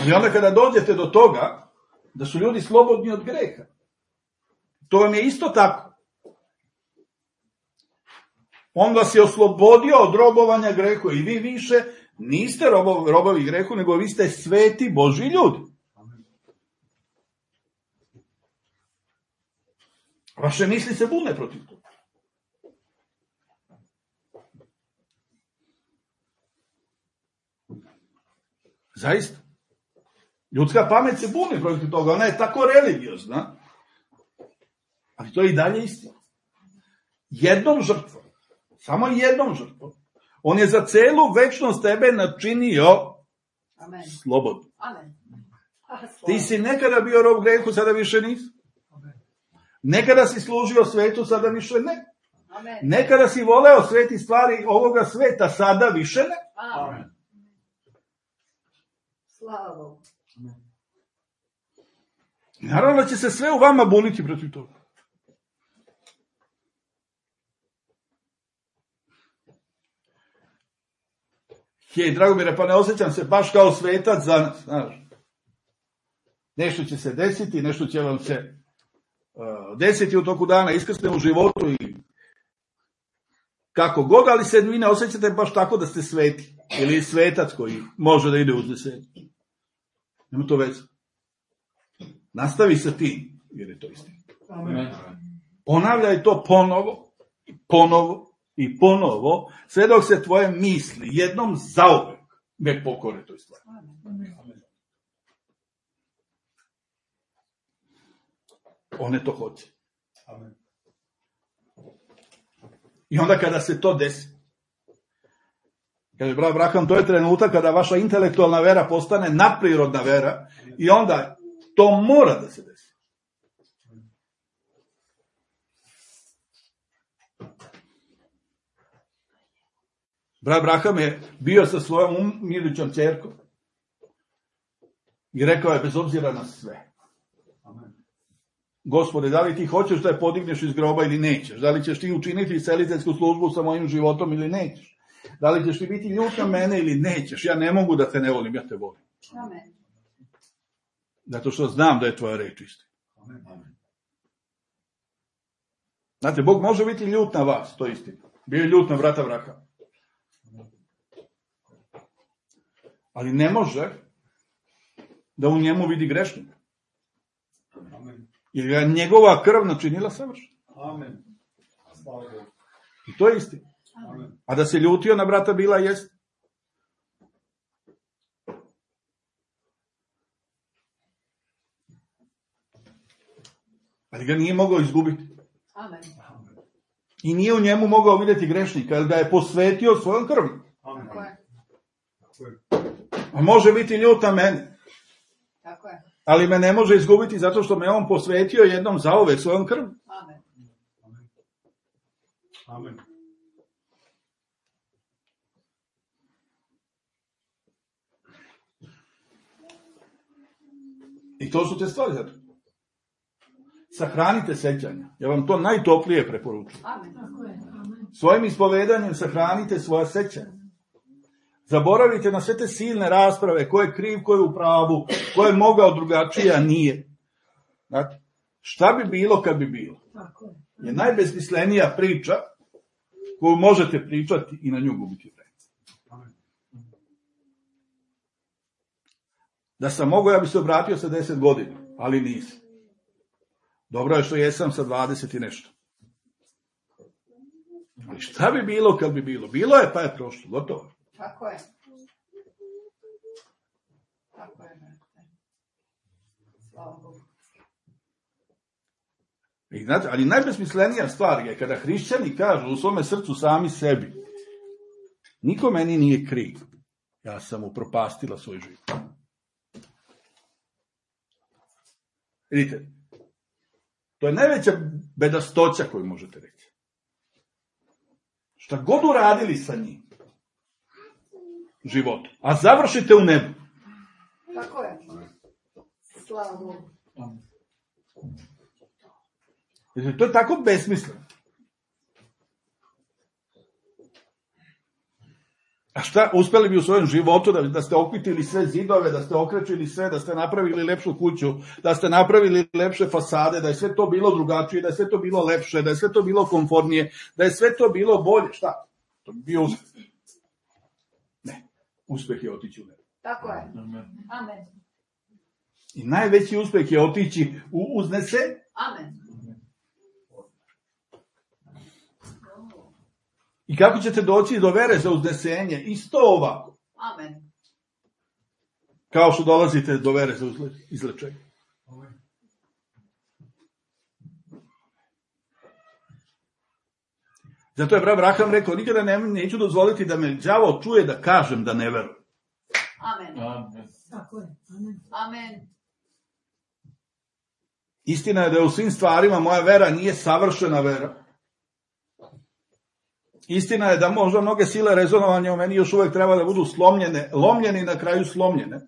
Ali onda kada dođete do toga da su ljudi slobodni od greha, to vam je isto tako. On vas je oslobodio od robovanja grehu i vi više niste robovi grehu, nego vi ste sveti Božji ljudi. Vaše misli se bune protiv toga. Zaista. Ljudska pamet se buni protiv toga, ona je tako religiozna, ali to je i dalje istina. Jednom žrtvom, samo jednom žrtvom, on je za celu večnost tebe načinio slobodno. Ti si nekada bio rob grehu, sada više nisi. Nekada si služio svetu, sada više ne. Nekada si voleo sveti stvari ovoga sveta, sada više ne. Amen. Slavo. Naravno da će se sve u vama buniti protiv toga. Dragomire, pa ne osjećam se baš kao svetac za, znaš, nešto će se desiti, nešto će vam se desiti u toku dana, iskrsne u životu i kako god, ali se vi ne osjećate baš tako da ste sveti ili svetac koji može da ide uzvišenje. Nema to veze. Nastavi sa tim, jer je to istina. Ponavljaj to ponovo i ponovo i ponovo, sve dok se tvoje misli jednom zauvek ne pokore toj stvari. One to hoće. I onda kada se to desi, kaže brat Braham, to je trenutak kada vaša intelektualna vera postane nadprirodna vera i onda to mora da se desi. Brat Braham je bio sa svojom milićom ćerkom i rekao je bez obzira na sve. Gospode, da li ti hoćeš da je podigneš iz groba ili nećeš? Da li ćeš ti učiniti seliteljsku službu sa mojim životom ili nećeš? Da li ćeš ti biti ljut na mene ili nećeš? Ja ne mogu da te ne volim, ja te volim. Amen. Zato što znam da je tvoja reč istina. Znate, Bog može biti ljut na vas, to je istina. Bio je ljut na brata Brahama. Ali ne može da u njemu vidi grešnika. Jer je njegova krv načinila savršeno. Amen. I to je istina. A da se ljutio na brata Bila jest. Ali ga nije mogao izgubiti. Amen. I nije u njemu mogao vidjeti grešnika, jer ga je posvetio svojom krvi. Amen. Tako je. A može biti ljut na mene. Tako je. Ali me ne može izgubiti zato što me on posvetio jednom zauvek svojom krvlju. Amen. Amen. I to su te stvari zato. Sahranite sećanja. Ja vam to najtoplije preporučujem. Amen. Svojim ispovedanjem sahranite svoja sećanja. Zaboravite na sve te silne rasprave, ko je kriv, ko je u pravu, ko je mogao drugačije, a nije. Znate, šta bi bilo kad bi bilo? Je najbesmislenija priča koju možete pričati i na nju gubiti vreme. Da sam mogao, ja bi se obratio sa 10 godina, ali nisam. Dobro je što jesam sa 20 i nešto. Ali šta bi bilo kad bi bilo? Bilo je, pa je prošlo, gotovo. Tako je. Tako je. Slava Bogu. I znate, ali najbesmislenija stvar je kada hrišćani kažu u svome srcu sami sebi: niko meni nije kriv, ja sam upropastila svoj život. Vidite, to je najveća bedastoća koju možete reći. Šta god uradili sa njim život, a završite u nebu. Tako je. Slava Bogu. To je tako besmisleno. A šta, uspeli bi u svojem životu da ste okvitili sve zidove, da ste okrečili sve, da ste napravili lepšu kuću, da ste napravili lepše fasade, da je sve to bilo drugačije, da je sve to bilo lepše, da je sve to bilo komfornije, da je sve to bilo bolje. Šta? To bi bio uspeh. Ne, uspeh je otići u nebo. Tako je. Amen. I najveći uspeh je otići u uznesenje. Amen. I kako ćete doći do vere za uznesenje? Isto ovako. Amen. Kao što dolazite do vere za izlečenje. Zato je Abraham rekao: nikada neću dozvoliti da me đavo čuje da kažem da ne verujem. Amen. Amen. Tako je. Amen. Istina je da je u svim stvarima moja vera nije savršena vera. Istina je da možda mnoge sile rezonovanja u meni još uvek treba da budu slomljene, lomljene i na kraju slomljene.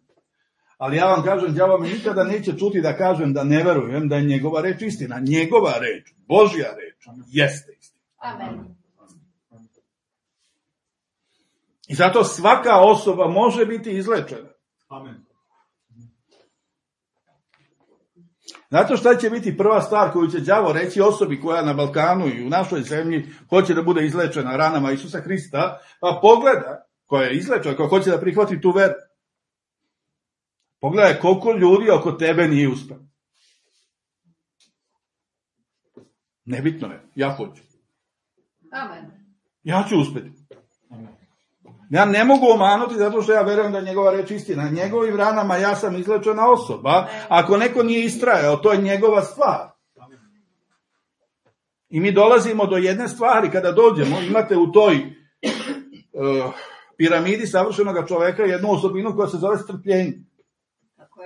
Ali ja vam kažem, đavo me nikada neće čuti da kažem da ne verujem, da je njegova reč istina. Njegova reč, Božja reč, jeste istina. Amen. I zato svaka osoba može biti izlečena. Amen. Znate šta će biti prva stvar koju će đavo reći osobi koja na Balkanu i u našoj zemlji hoće da bude izlečena ranama Isusa Hrista, pa pogleda, koja je izlečena, koja hoće da prihvati tu veru. Pogledaj koliko ljudi oko tebe nije uspeo. Nebitno je, ja hoću. Amen. Ja ću uspeti. Ja ne mogu omanuti zato što ja verujem da je njegova reč istina. Njegovim ranama ja sam izlečena osoba. Ako neko nije istrajao, to je njegova stvar. I mi dolazimo do jedne stvari kada dođemo, imate u toj piramidi savršenog čoveka jednu osobinu koja se zove strpljenje.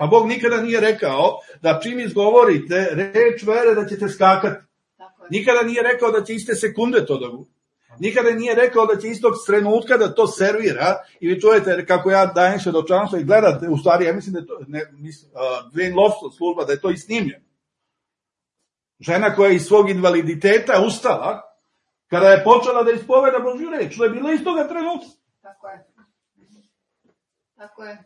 A Bog nikada nije rekao da čim izgovorite reč vere da ćete skakati. Nikada nije rekao da će iste sekunde to da bude. Nikada nije rekao da će istog trenutka da to servira i vi čujete kako ja dajem svedočanstvo i gledate, u stvari ja mislim da je to Dwayne Lofton služba, da je to i snimljeno. Žena koja je iz svog invaliditeta ustala kada je počela da ispoveda Božju reč. To je bilo istoga trenutka. Tako je. Tako je.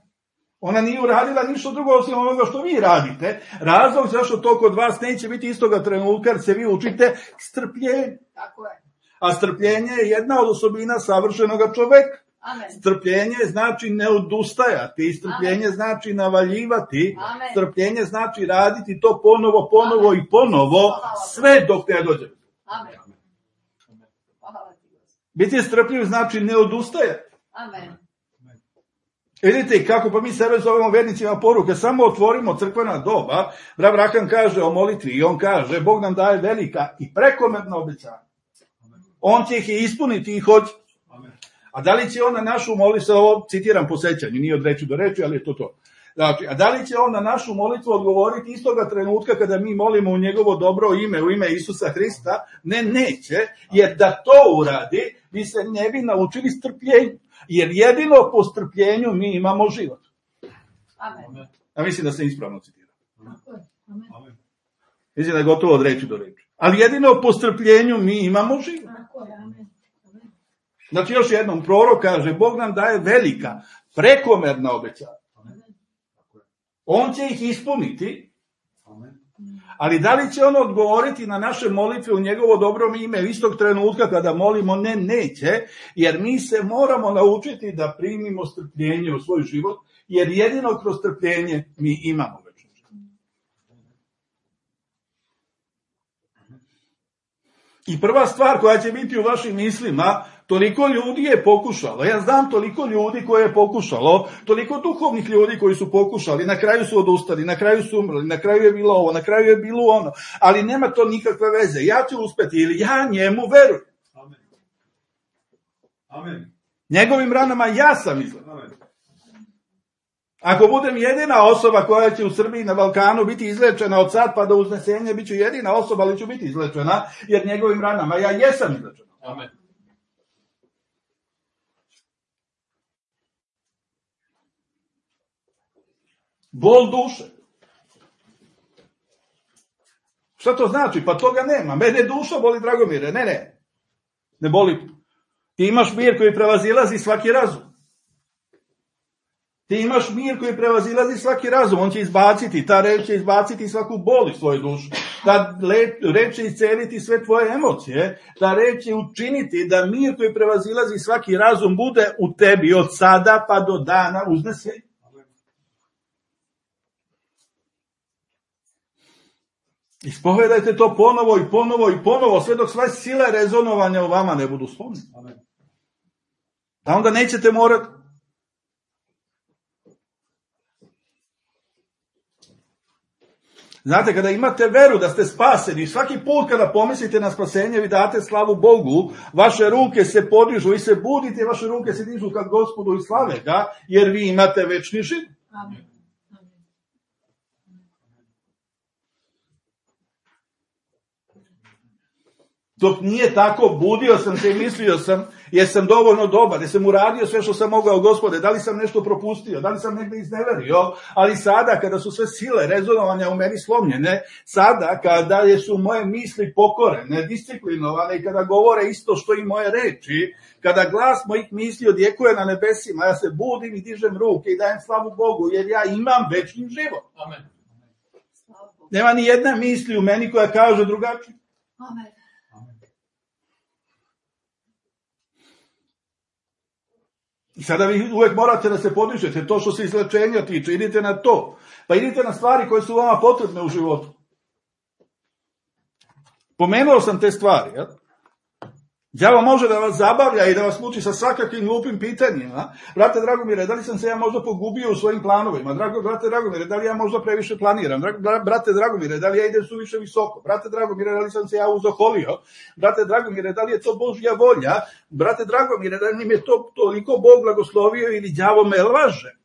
Ona nije uradila ništa drugo osim onoga što vi radite. Razlog zašto to kod vas neće biti istoga trenutka jer se vi učite strpljenje. Tako je. A strpljenje je jedna od osobina savršenog čoveka. Amen. Strpljenje znači ne odustajati, strpljenje Amen. znači navaljivati, Amen. strpljenje znači raditi to ponovo Amen. i ponovo, sve dok ne dođe. Amen. Hvala ti, Gospod. Biti strpljiv znači ne odustajati. Amen. Vidite kako, pa mi sebe zovemo vernicima poruke, samo otvorimo crkvena doba, Abraham kaže o molitvi i on kaže, Bog nam daje velika i prekomerna obećanja. On će ih ispuniti i hoće. A da li će on na našu molitvu, ovo citiram po sećanju, nije od reči do reči, ali je to. Znači, a da li će on na našu molitvu odgovoriti istoga trenutka kada mi molimo u njegovo dobro ime, u ime Isusa Hrista? Ne, neće, jer da to uradi, mi se ne bi naučili strpljenju. Jer jedino po strpljenju mi imamo život. Amen. A mislim da se ispravno citira. Mislim da je gotovo od reči do reči. Ali jedino po strpljenju mi imamo život. Znači još jednom, prorok kaže, Bog nam daje velika, prekomerna obećanja. On će ih ispuniti, ali da li će on odgovoriti na naše molitve u njegovo dobro ime istog trenutka kada molimo? Ne, neće, jer mi se moramo naučiti da primimo strpljenje u svoj život, jer jedino kroz strpljenje mi imamo večni život. I prva stvar koja će biti u vašim mislima, toliko ljudi je pokušalo, ja znam toliko ljudi koje je pokušalo, toliko duhovnih ljudi koji su pokušali, na kraju su odustali, na kraju su umrli, na kraju je bilo ovo, na kraju je bilo ono, ali nema to nikakve veze, ja ću uspeti ili ja njemu verujem. Amen. Amen. Njegovim ranama ja sam izgledan. Ako budem jedina osoba koja će u Srbiji na Balkanu biti izlečena od sad pa do uznesenja, bit ću jedina osoba, ali ću biti izlečena, jer njegovim ranama ja jesam izlečena. Amen. Bol duše. Šta to znači? Pa toga nema. Mene duša boli, Dragomire. Ne. Ne boli. Ti imaš mir koji prevazilazi svaki razum. Ti imaš mir koji prevazilazi svaki razum. On će izbaciti, ta reč će izbaciti svaku bol iz svoje duše. Ta reč će isceliti sve tvoje emocije. Ta reč će učiniti da mir koji prevazilazi svaki razum bude u tebi od sada pa do dana uznesenja. Ispovedajte to ponovo i ponovo i ponovo, sve dok sve sile rezonovanja u vama ne budu slomljene. A onda nećete morati. Znate, kada imate veru da ste spaseni, svaki put kada pomislite na spasenje, vi date slavu Bogu, vaše ruke se podižu i se budite, vaše ruke se dižu kad Gospodu i slave ga, jer vi imate večni život. Amen. Dok nije tako, budio sam se i mislio sam, jesam dovoljno dobar, jesam uradio sve što sam mogao, Gospode, da li sam nešto propustio, da li sam negdje izneverio, ali sada kada su sve sile rezonovanja u meni slomljene, sada kada su moje misli pokorene, disciplinovane i kada govore isto što i moje reči, kada glas mojih misli odjekuje na nebesima, ja se budim i dižem ruke i dajem slavu Bogu, jer ja imam večni život. Amen. Nema ni jedna misli u meni koja kaže drugačije. Amen. I sada vi uvek morate da se podižete, to što se izlečenja tiče, idite na to. Pa idite na stvari koje su vama potrebne u životu. Pomenuo sam te stvari, ja? Đavo može da vas zabavlja i da vas muči sa svakakvim glupim pitanjima. Brate Dragomire, da li sam se ja možda pogubio u svojim planovima? Brate Dragomire, da li ja možda previše planiram? Brate Dragomire, da li ja idem suviše visoko? Brate Dragomire, da li sam se ja uzoholio? Brate Dragomire, da li je to Božja volja? Brate Dragomire, da li mi je to toliko Bog blagoslovio ili đavo me laže?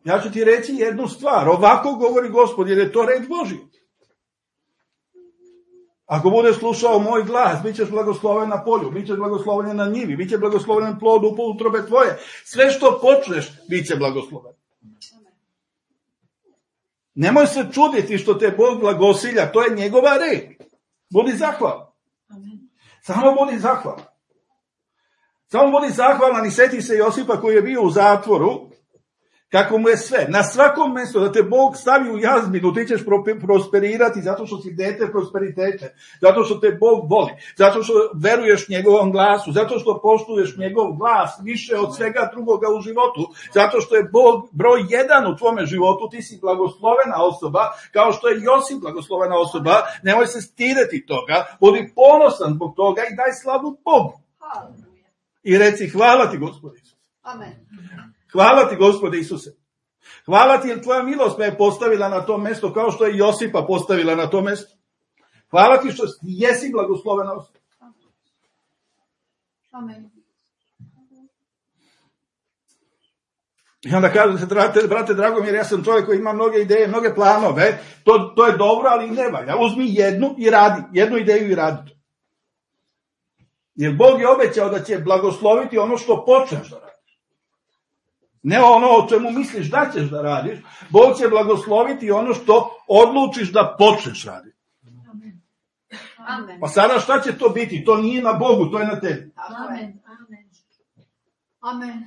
Ja ću ti reći jednu stvar. Ovako govori Gospod, jer je to reč Božja. Ako budeš slušao moj glas, bit ćeš blagosloven na polju, bit ćeš blagosloven na njivi, bit će blagosloven plod u utrobe tvoje. Sve što počneš, bit će blagosloven. Nemoj se čuditi što te Bog blagosilja, to je njegova reč. Budi zahvalan. Samo budi zahvalan. Samo budi zahvalan i seti se Josipa koji je bio u zatvoru, kako mu je sve, na svakom mjestu da te Bog stavi u jazminu, ti ćeš prosperirati zato što si dete prosperitete, zato što te Bog voli, zato što veruješ njegovom glasu, zato što poštuješ njegov glas više od svega drugoga u životu, zato što je Bog broj 1 u tvome životu, ti si blagoslovena osoba, kao što je Josip blagoslovena osoba, nemoj se stideti toga, budi ponosan zbog toga i daj slavu Bogu. I reci hvala ti Gospod Isus. Amen. Hvala ti, Gospode Isuse. Hvala ti jer tvoja milost me je postavila na to mjesto kao što je Josipa postavila na to mjesto. Hvala ti što jesi blagoslovena osoba. Amen. I onda kažu se, brate Dragomir, ja sam čovjek koji ima mnoge ideje, mnoge planove, to je dobro, ali ne valja. Uzmi jednu i radi, jednu ideju i radi. Jer Bog je obećao da će blagosloviti ono što počneš da radiš. Ne ono o čemu misliš da ćeš da radiš, Bog će blagosloviti ono što odlučiš da počneš raditi. Amen. Pa sada šta će to biti? To nije na Bogu, to je na tebi. Amen. Amen.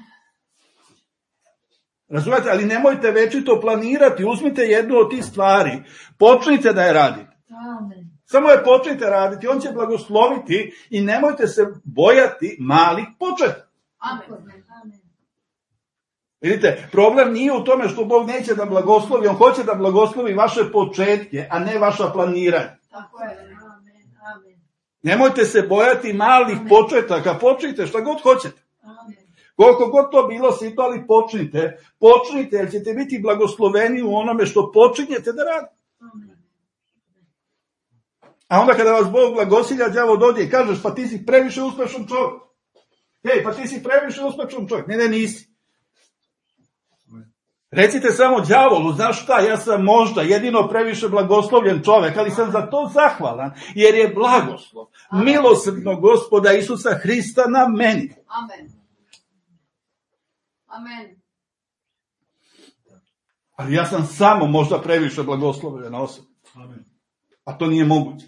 Razumete, ali nemojte večito planirati, uzmite jednu od tih stvari, počnite da je radite. Amen. Samo je počnite raditi, on će blagosloviti i nemojte se bojati malih početa. Amen. Vidite, problem nije u tome što Bog neće da blagoslovi, on hoće da blagoslovi vaše početke, a ne vaša planiranja. Tako je. Amen. Nemojte se bojati malih početaka, počnite šta god hoćete. Amen. Koliko god to bilo sitno, ali počnite, jer ćete biti blagosloveni u onome što počinjete da radite. Amen. A onda kada vas Bog blagosilja, đavo dođe i kažeš, pa ti si previše uspešan čovjek. Hej, pa ti si previše uspešan čovjek. Ne, nisi. Recite samo đavolu, znaš šta, ja sam možda jedino previše blagoslovljen čovjek, ali sam za to zahvalan, jer je blagoslov milosrdnog Gospoda Isusa Hrista na meni. Amen. Amen. Ali ja sam samo možda previše blagoslovljen osoba. A to nije moguće.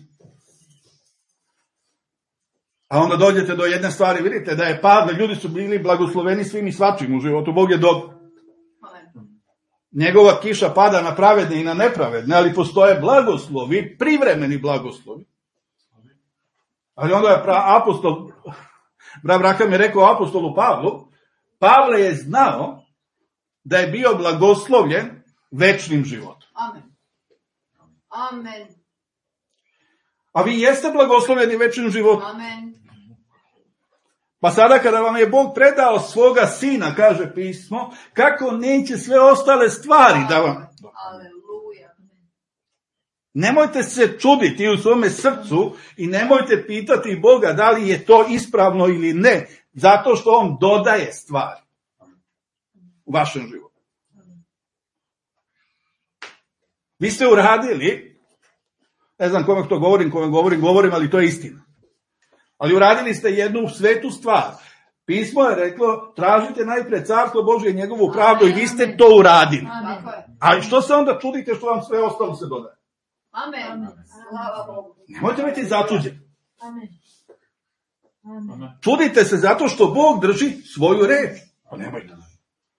A onda dođete do jedne stvari, vidite da je Pavle, ljudi su bili blagosloveni svim i svačim u životu, Bog je dobar. Njegova kiša pada na pravedne i na nepravedne, ali postoje blagoslovi, privremeni blagoslovi. Ali onda je apostol, Braham je rekao apostolu Pavlu, Pavle je znao da je bio blagoslovljen večnim životom. Amen. Amen. A vi jeste blagoslovljeni večnim životom. Amen. Pa sada kada vam je Bog predao svoga sina, kaže pismo, kako neće sve ostale stvari da vam... Aleluja. Nemojte se čuditi u svome srcu i nemojte pitati Boga da li je to ispravno ili ne, zato što on dodaje stvari u vašem životu. Vi ste uradili, ne znam kome to govorim, ali to je istina. Ali uradili ste jednu svetu stvar. Pismo je reklo, tražite najpre carstvo Božje i njegovu pravdu i vi ste to uradili. A što se onda čudite što vam sve ostalo se dodaje? Amen. Slava Bogu. Nemojte biti začuđeni. Amen. Čudite se zato što Bog drži svoju reč. Pa nemojte.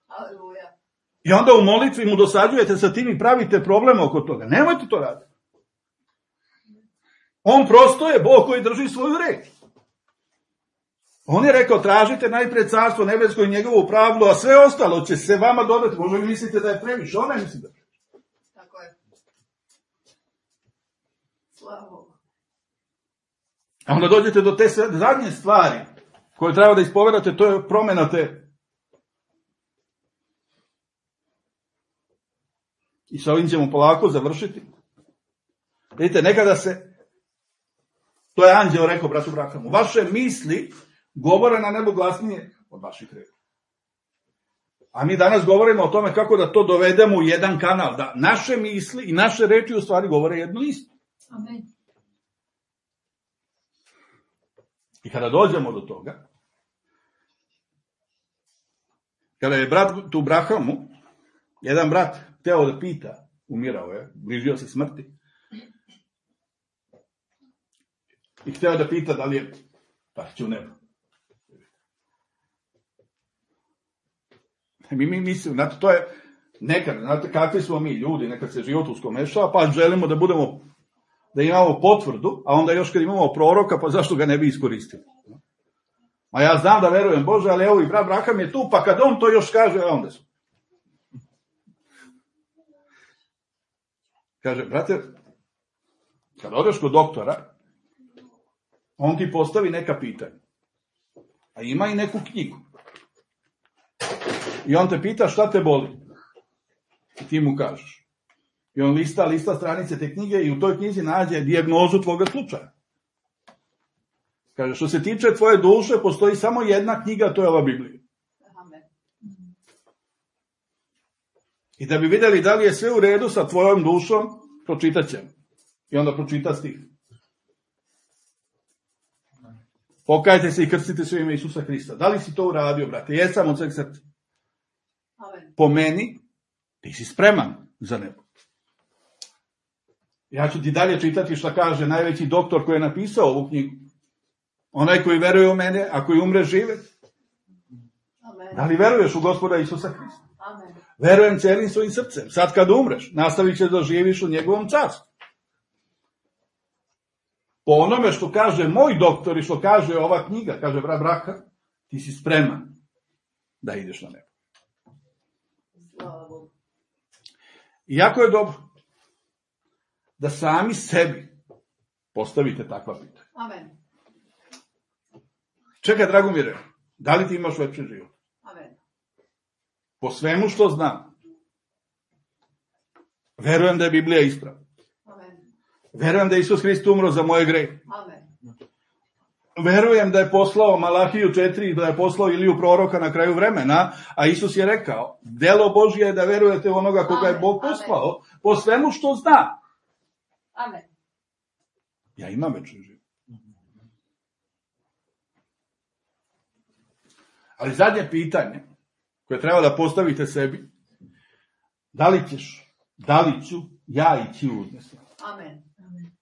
Aleluja. I onda u molitvi mu dosađujete sa tim i pravite problem oko toga. Nemojte to raditi. On prosto je Bog koji drži svoju reč. On je rekao, tražite najpred carstvo nebesko i njegovu pravdu, a sve ostalo će se vama dodati. Možda vi mislite da je previše, on ne misli da je previše. Tako je. Slava Bogu. A onda dođete do te zadnje stvari koje treba da ispovedate, to je promjena te. I sa ovim ćemo polako završiti. Vidite, nekada to je anđeo rekao bratu Brahamu, vaše misli govore na nebu glasnije od vaših reči. A mi danas govorimo o tome kako da to dovedemo u jedan kanal, da naše misli i naše reči u stvari govore jedno isto. Amen. I kada dođemo do toga, kada je brat tu Brahamu, jedan brat hteo da pita, umirao je, bližio se smrti, i hteo da pita da li je pašće u nebo. Mi mislimo, znate, to je nekad, znate kakvi smo mi ljudi, nekad se život uskomešava, pa želimo da imamo potvrdu, a onda još kad imamo proroka, pa zašto ga ne bi iskoristili? A ja znam da verujem Bože, ali evo i brat Braham je tu, pa kad on to još kaže, onda su. Kaže, brate, kad odeš kod doktora, on ti postavi neka pitanja. A ima i neku knjigu. I on te pita šta te boli. I ti mu kažeš. I on lista stranice te knjige i u toj knjizi nađe dijagnozu tvoga slučaja. Kaže, što se tiče tvoje duše, postoji samo jedna knjiga, to je ova Biblija. Amen. I da bi vidjeli da li je sve u redu sa tvojom dušom, pročitat ćemo. I onda pročita stih. Pokajte se i krstite se u ime Isusa Hrista. Da li si to uradio, brate? Jesam od sveg srca. Amen. Po meni, ti si spreman za nebo. Ja ću ti dalje čitati šta kaže najveći doktor koji je napisao ovu knjigu. Onaj koji veruje u mene, a koji umre žive. Amen. Da li veruješ u Gospoda Isusa Hrista? Amen. Verujem celim svojim srcem. Sad kad umreš, nastavit ćeš da živiš u njegovom carstvu. Po onome što kaže moj doktor i što kaže ova knjiga, kaže brat Braha, ti si spreman da ideš na nebo. Slava Bogu. I jako je dobro da sami sebi postavite takva pitanja. Amen. Čekaj, Dragomire, da li ti imaš večni život? Amen. Po svemu što znam, verujem da je Biblija ispravna. Amen. Verujem da je Isus Hrist umro za moje grehe. Amen. Verujem da je poslao Malahiju 4, da je poslao Iliju proroka na kraju vremena, a Isus je rekao, delo Božje je da verujete u onoga koga je Bog poslao, po svemu što zna. Amen. Ja imam večni život. Ali zadnje pitanje koje treba da postavite sebi, da li ću ja ići u uznesenje? Amen. Amen.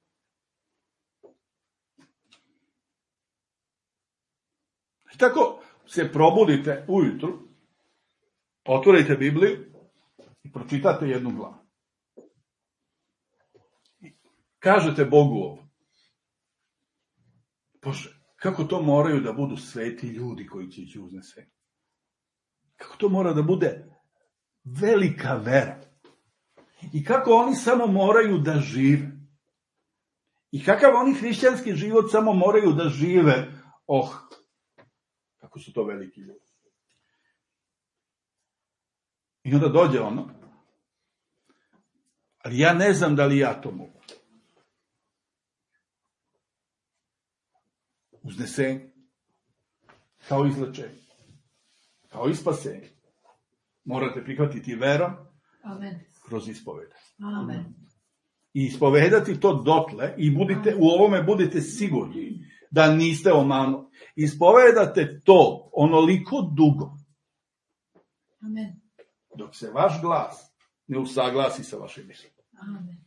I tako se probudite ujutru, otvorite Bibliju i pročitate jednu glavu. Kažete Bogu ovo. Bože, kako to moraju da budu sveti ljudi koji će ići u uznesenje? Kako to mora da bude velika vera? I kako oni samo moraju da žive? I kakav oni hrišćanski život samo moraju da žive? Kako su to veliki ljudi. I onda dođe ono, ali ja ne znam da li ja to mogu. Uznesenje, kao izlečenje, kao i spasenje. Morate prihvatiti verom. Amen. Kroz ispovede. Amen. I ispovedati to dotle i u ovome budete sigurni da niste omanu. Ispovedate to onoliko dugo. Amen. Dok se vaš glas ne usaglasi sa vašim mišljenjem. Amen.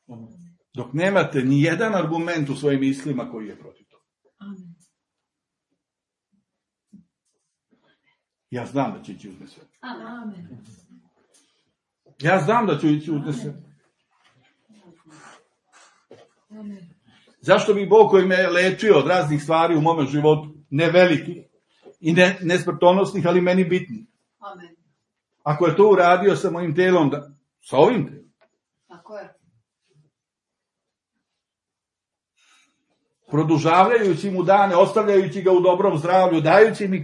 Amen. Dok nemate ni jedan argument u svojim mislima koji je protiv toga. Amen. Ja znam da će ići uznesenje. Amen. Ja znam da ću ići uznesenje. Amen. Zašto bi Bog koji me lečio od raznih stvari u mome životu, ne velikih i ne smrtonosnih, ali meni bitnih? Amen. Ako je to uradio sa mojim telom, sa ovim telom. Tako je. Produžavljajući mu dane, ostavljajući ga u dobrom zdravlju,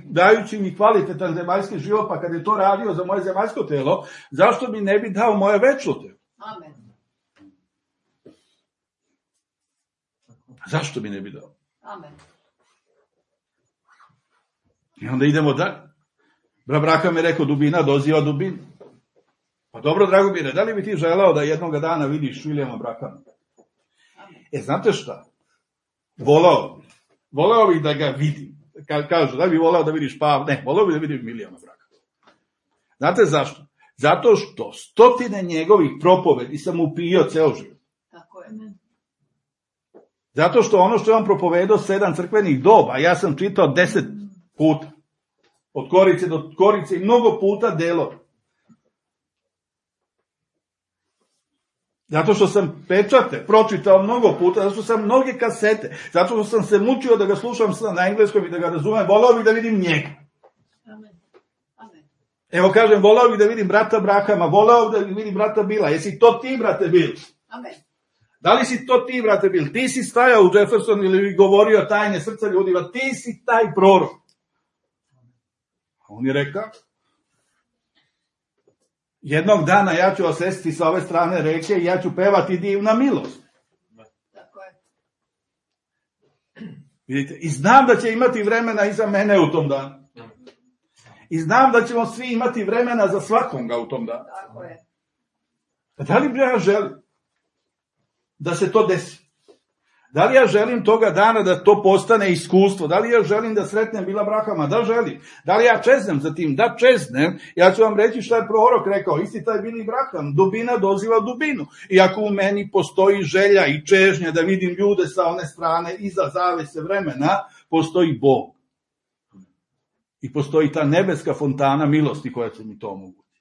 dajući mi kvalitetan zemaljski život, pa kad je to radio za moje zemaljsko telo, zašto mi ne bi dao moje večno telo? Amen. Zašto mi ne bi dao? Amen. I onda idemo dalje. Braha mi rekao, dubina doziva dubinu. Pa dobro, Dragomire, da li bi ti želeo da jednoga dana vidiš Vilijama Brahama? Znate šta? Voleo bih da ga vidim. Kažu, da bi voleo da vidiš Pavla? Ne, voleo bih da vidim Vilijama Brahama. Znate zašto? Zato što stotine njegovih propovedi sam upio ceo život. Tako je. Zato što ono što je on propovedao 7 crkvenih doba, ja sam čitao 10 puta. Od korice do korice i mnogo puta delove. Zato što sam pečate pročitao mnogo puta, zato što sam mnoge kasete, zato što sam se mučio da ga slušam na engleskom i da ga razumem, volao bih da vidim njega. Amen. Amen. Evo kažem, volao bih da vidim brata Brahama, volao bih da vidim brata Bila. Jesi to ti, brate Bil? Amen. Da li si to ti, brate Bil? Ti si stajao u Jefferson ili govorio tajne srca ljudima, ti si taj prorok. A on je rekao, jednog dana ja ću osesti sa ove strane reke i ja ću pevati divna milost. Tako je. Vidite, i znam da će imati vremena iza mene u tom danu. I znam da ćemo svi imati vremena za svakoga u tom danu. Tako je. Da li ja želim da se to desi? Da li ja želim toga dana da to postane iskustvo? Da li ja želim da sretnem Bila Brahama? Da želim. Da li ja čeznem za tim? Da čeznem. Ja ću vam reći šta je prorok rekao. Isti taj Bili Braham. Dubina doziva dubinu. I ako u meni postoji želja i čežnja da vidim ljude sa one strane iza zavese vremena, postoji Bog. I postoji ta nebeska fontana milosti koja će mi to omogućiti.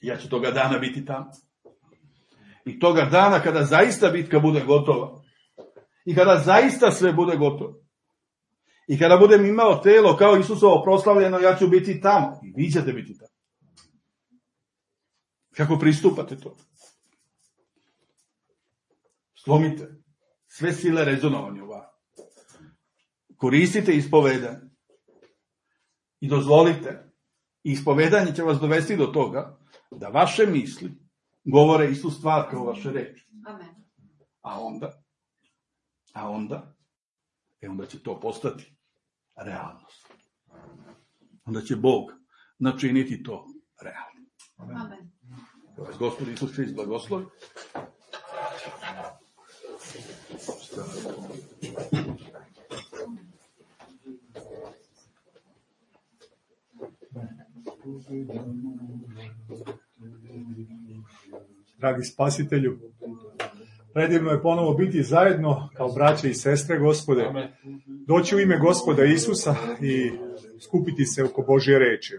Ja ću toga dana biti tamo. I toga dana kada zaista bitka bude gotova. I kada zaista sve bude gotovo. I kada budem imao telo kao Isusovo proslavljeno, ja ću biti tamo. I vi ćete biti tamo. Kako pristupate to? Slomite sve sile rezonovanja u vas. Koristite ispovedanje. I dozvolite. I ispovedanje će vas dovesti do toga da vaše misli govore istu stvar kao vaše reči. Amen. A onda će to postati realnost. Onda će Bog načiniti to realno. Amen. Vas Gospod Isus Hrist blagoslovi. Dragi Spasitelju, predivno je ponovo biti zajedno kao braće i sestre, Gospode, doći u ime Gospoda Isusa i skupiti se oko Božje reči.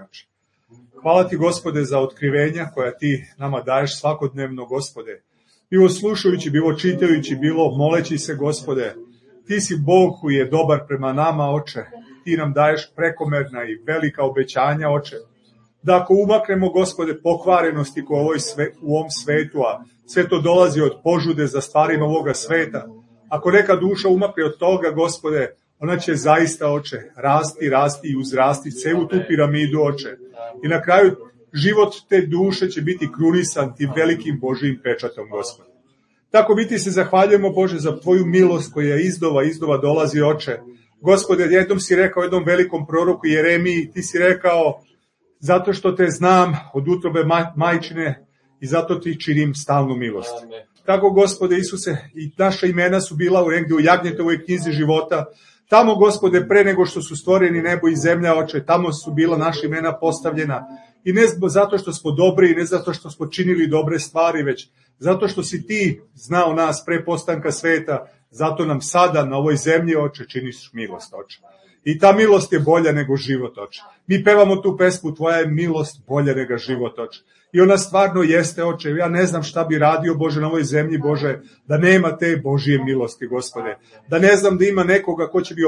Hvala ti, Gospode, za otkrivenja koja ti nama daješ svakodnevno, Gospode. Bilo slušajući, bilo čitajući, bilo moleći se, Gospode. Ti si Bog koji je dobar prema nama, Oče. Ti nam daješ prekomerna i velika obećanja, Oče. Da ako umaknemo, Gospode, pokvarenosti u ovom svetu, a sve to dolazi od požude za stvarima ovoga sveta, ako neka duša umakne od toga, Gospode, ona će zaista, Oče, rasti i uzrasti celu tu piramidu, Oče. I na kraju život te duše će biti krunisan tim velikim Božijim pečatom, Gospode. Tako mi ti se zahvaljujemo, Bože, za tvoju milost koja izdova dolazi, Oče. Gospode, jednom si rekao jednom velikom proroku Jeremiji, ti si rekao, zato što te znam od utrobe majčine i zato ti činim stalnu milost. Tako, Gospode Isuse, i naša imena su bila negdje u Jagnjetovoj knjizi života. Tamo, Gospode, pre nego što su stvoreni nebo i zemlja, Oče, tamo su bila naša imena postavljena. I ne zato što smo dobri, i ne zato što smo činili dobre stvari, već zato što si ti znao nas pre postanka sveta, zato nam sada na ovoj zemlji, Oče, činiš milost, Oče. I ta milost je bolja nego život, Oče. Mi pevamo tu pesmu, tvoja je milost bolja nego život, Oče. I ona stvarno jeste, Oče. Ja ne znam šta bi radio, Bože, na ovoj zemlji, Bože, da nema te Božije milosti, Gospode. Da ne znam da ima nekoga ko će mi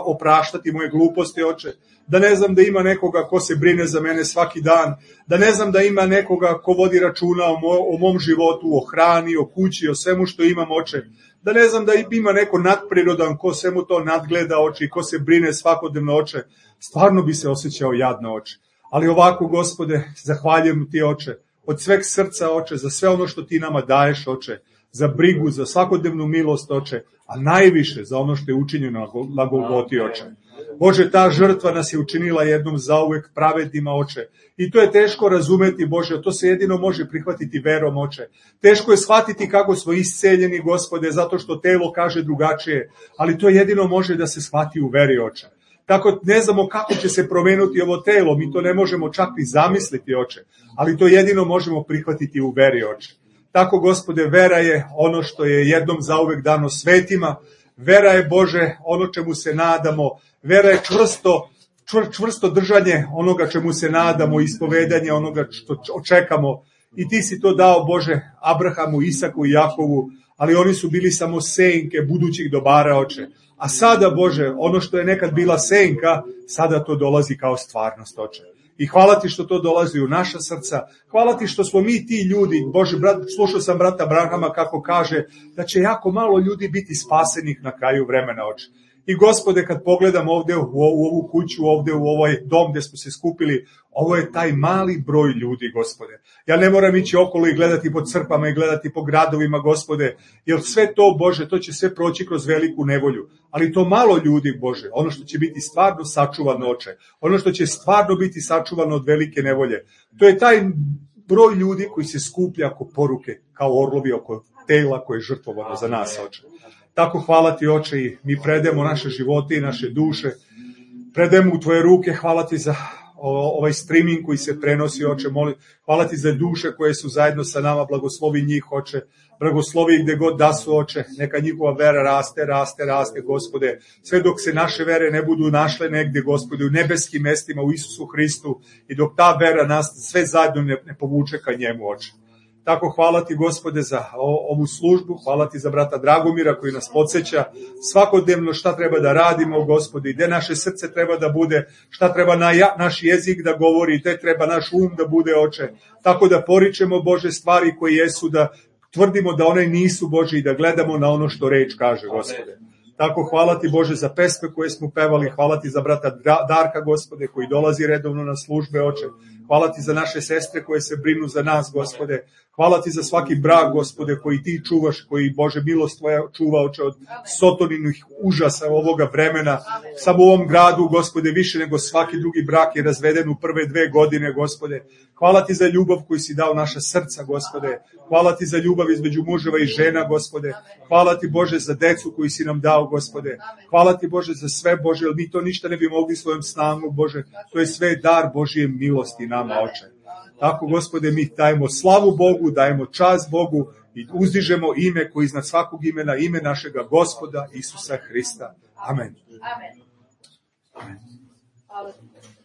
opraštati moje gluposti, Oče. Da ne znam da ima nekoga ko se brine za mene svaki dan. Da ne znam da ima nekoga ko vodi računa o mom životu, o hrani, o kući, o svemu što imam, Oče. Da ne znam da ima neko nadprirodan ko svemu to nadgleda, Oče, i ko se brine svakodnevno, Oče. Stvarno bi se osjećao jadno, Oče. Ali ovako, Gospode, zahvaljujem ti, Oče, od sveg srca, Oče, za sve ono što ti nama daješ, Oče, za brigu, za svakodnevnu milost, Oče, a najviše za ono što je učinjeno na Golgoti, Oče. Bože, ta žrtva nas je učinila jednom zauvek pravednima, Oče. I to je teško razumeti, Bože, to se jedino može prihvatiti verom, Oče. Teško je shvatiti kako smo isceljeni, Gospode, zato što telo kaže drugačije, ali to jedino može da se shvati u veri, Oče. Tako ne znamo kako će se promenuti ovo telo, mi to ne možemo čak ni zamisliti, Oče, ali to jedino možemo prihvatiti u veri, Oče. Tako, Gospode, vera je ono što je jednom zauvek dano svetima, vera je, Bože, ono čemu se nadamo, vera je čvrsto držanje onoga čemu se nadamo, ispovedanje onoga što očekamo. I ti si to dao, Bože, Abrahamu, Isaku i Jakovu, ali oni su bili samo senke budućih dobara, Oče. A sada, Bože, ono što je nekad bila senka, sada to dolazi kao stvarnost, Oče. I hvala ti što to dolazi u naša srca. Hvala ti što smo mi ti ljudi. Bože, slušao sam brata Abrahama kako kaže da će jako malo ljudi biti spasenih na kraju vremena, Oče. I Gospode, kad pogledam ovde u ovu kuću, ovde u ovaj dom gde smo se skupili, ovo je taj mali broj ljudi, Gospode. Ja ne moram ići okolo i gledati po crkvama i gledati po gradovima, Gospode, jer sve to, Bože, to će sve proći kroz veliku nevolju. Ali to malo ljudi, Bože, ono što će biti stvarno sačuvano, Oče, ono što će stvarno biti sačuvano od velike nevolje, to je taj broj ljudi koji se skuplja oko poruke, kao orlovi oko tela koje je žrtvovano za nas, Oče. Tako hvala ti, Oče, i mi predajemo naše živote i naše duše, predajemo u tvoje ruke, hvala ti za ovaj streaming koji se prenosi, Oče, hvala ti za duše koje su zajedno sa nama, blagoslovi njih, Oče, blagoslovi gde god da su, Oče, neka njihova vera raste, Gospode, sve dok se naše vere ne budu našle negde, Gospode, u nebeskim mestima, u Isusu Hristu, i dok ta vera nas sve zajedno ne povuče ka njemu, Oče. Tako hvala ti, Gospode, za ovu službu, hvala ti za brata Dragomira koji nas podsjeća svakodnevno šta treba da radimo, Gospode, i gde naše srce treba da bude, šta treba naš jezik da govori, gde treba naš um da bude, Oče. Tako da poričemo, Bože, stvari koje jesu, da tvrdimo da one nisu, Bože, i da gledamo na ono što reč kaže, Gospode. Tako hvala ti, Bože, za pesme koje smo pevali, hvala ti za brata Darka, Gospode, koji dolazi redovno na službe, Oče. Hvala ti za naše sestre koje se brinu za nas, Gospode. Hvala ti za svaki brak, Gospode, koji ti čuvaš, koji, Bože, milost tvoja čuva, Oče, od sotoninih užasa ovoga vremena. Samo u ovom gradu, Gospode, više nego svaki drugi brak je razveden u prve 2 godine, Gospode. Hvala ti za ljubav koju si dao naša srca, Gospode. Hvala ti za ljubav između muževa i žena, Gospode. Hvala ti, Bože, za decu koju si nam dao, Gospode. Hvala ti, Bože, za sve, Bože, jer mi to ništa ne bi mogli svojom snagom, Bože. To je sve dar Božije milosti nama, Oče. Tako, Gospode, mi dajemo slavu Bogu, dajemo čast Bogu i uzdižemo ime koji iznad svakog imena, ime našega Gospoda Isusa Hrista. Amen. Amen.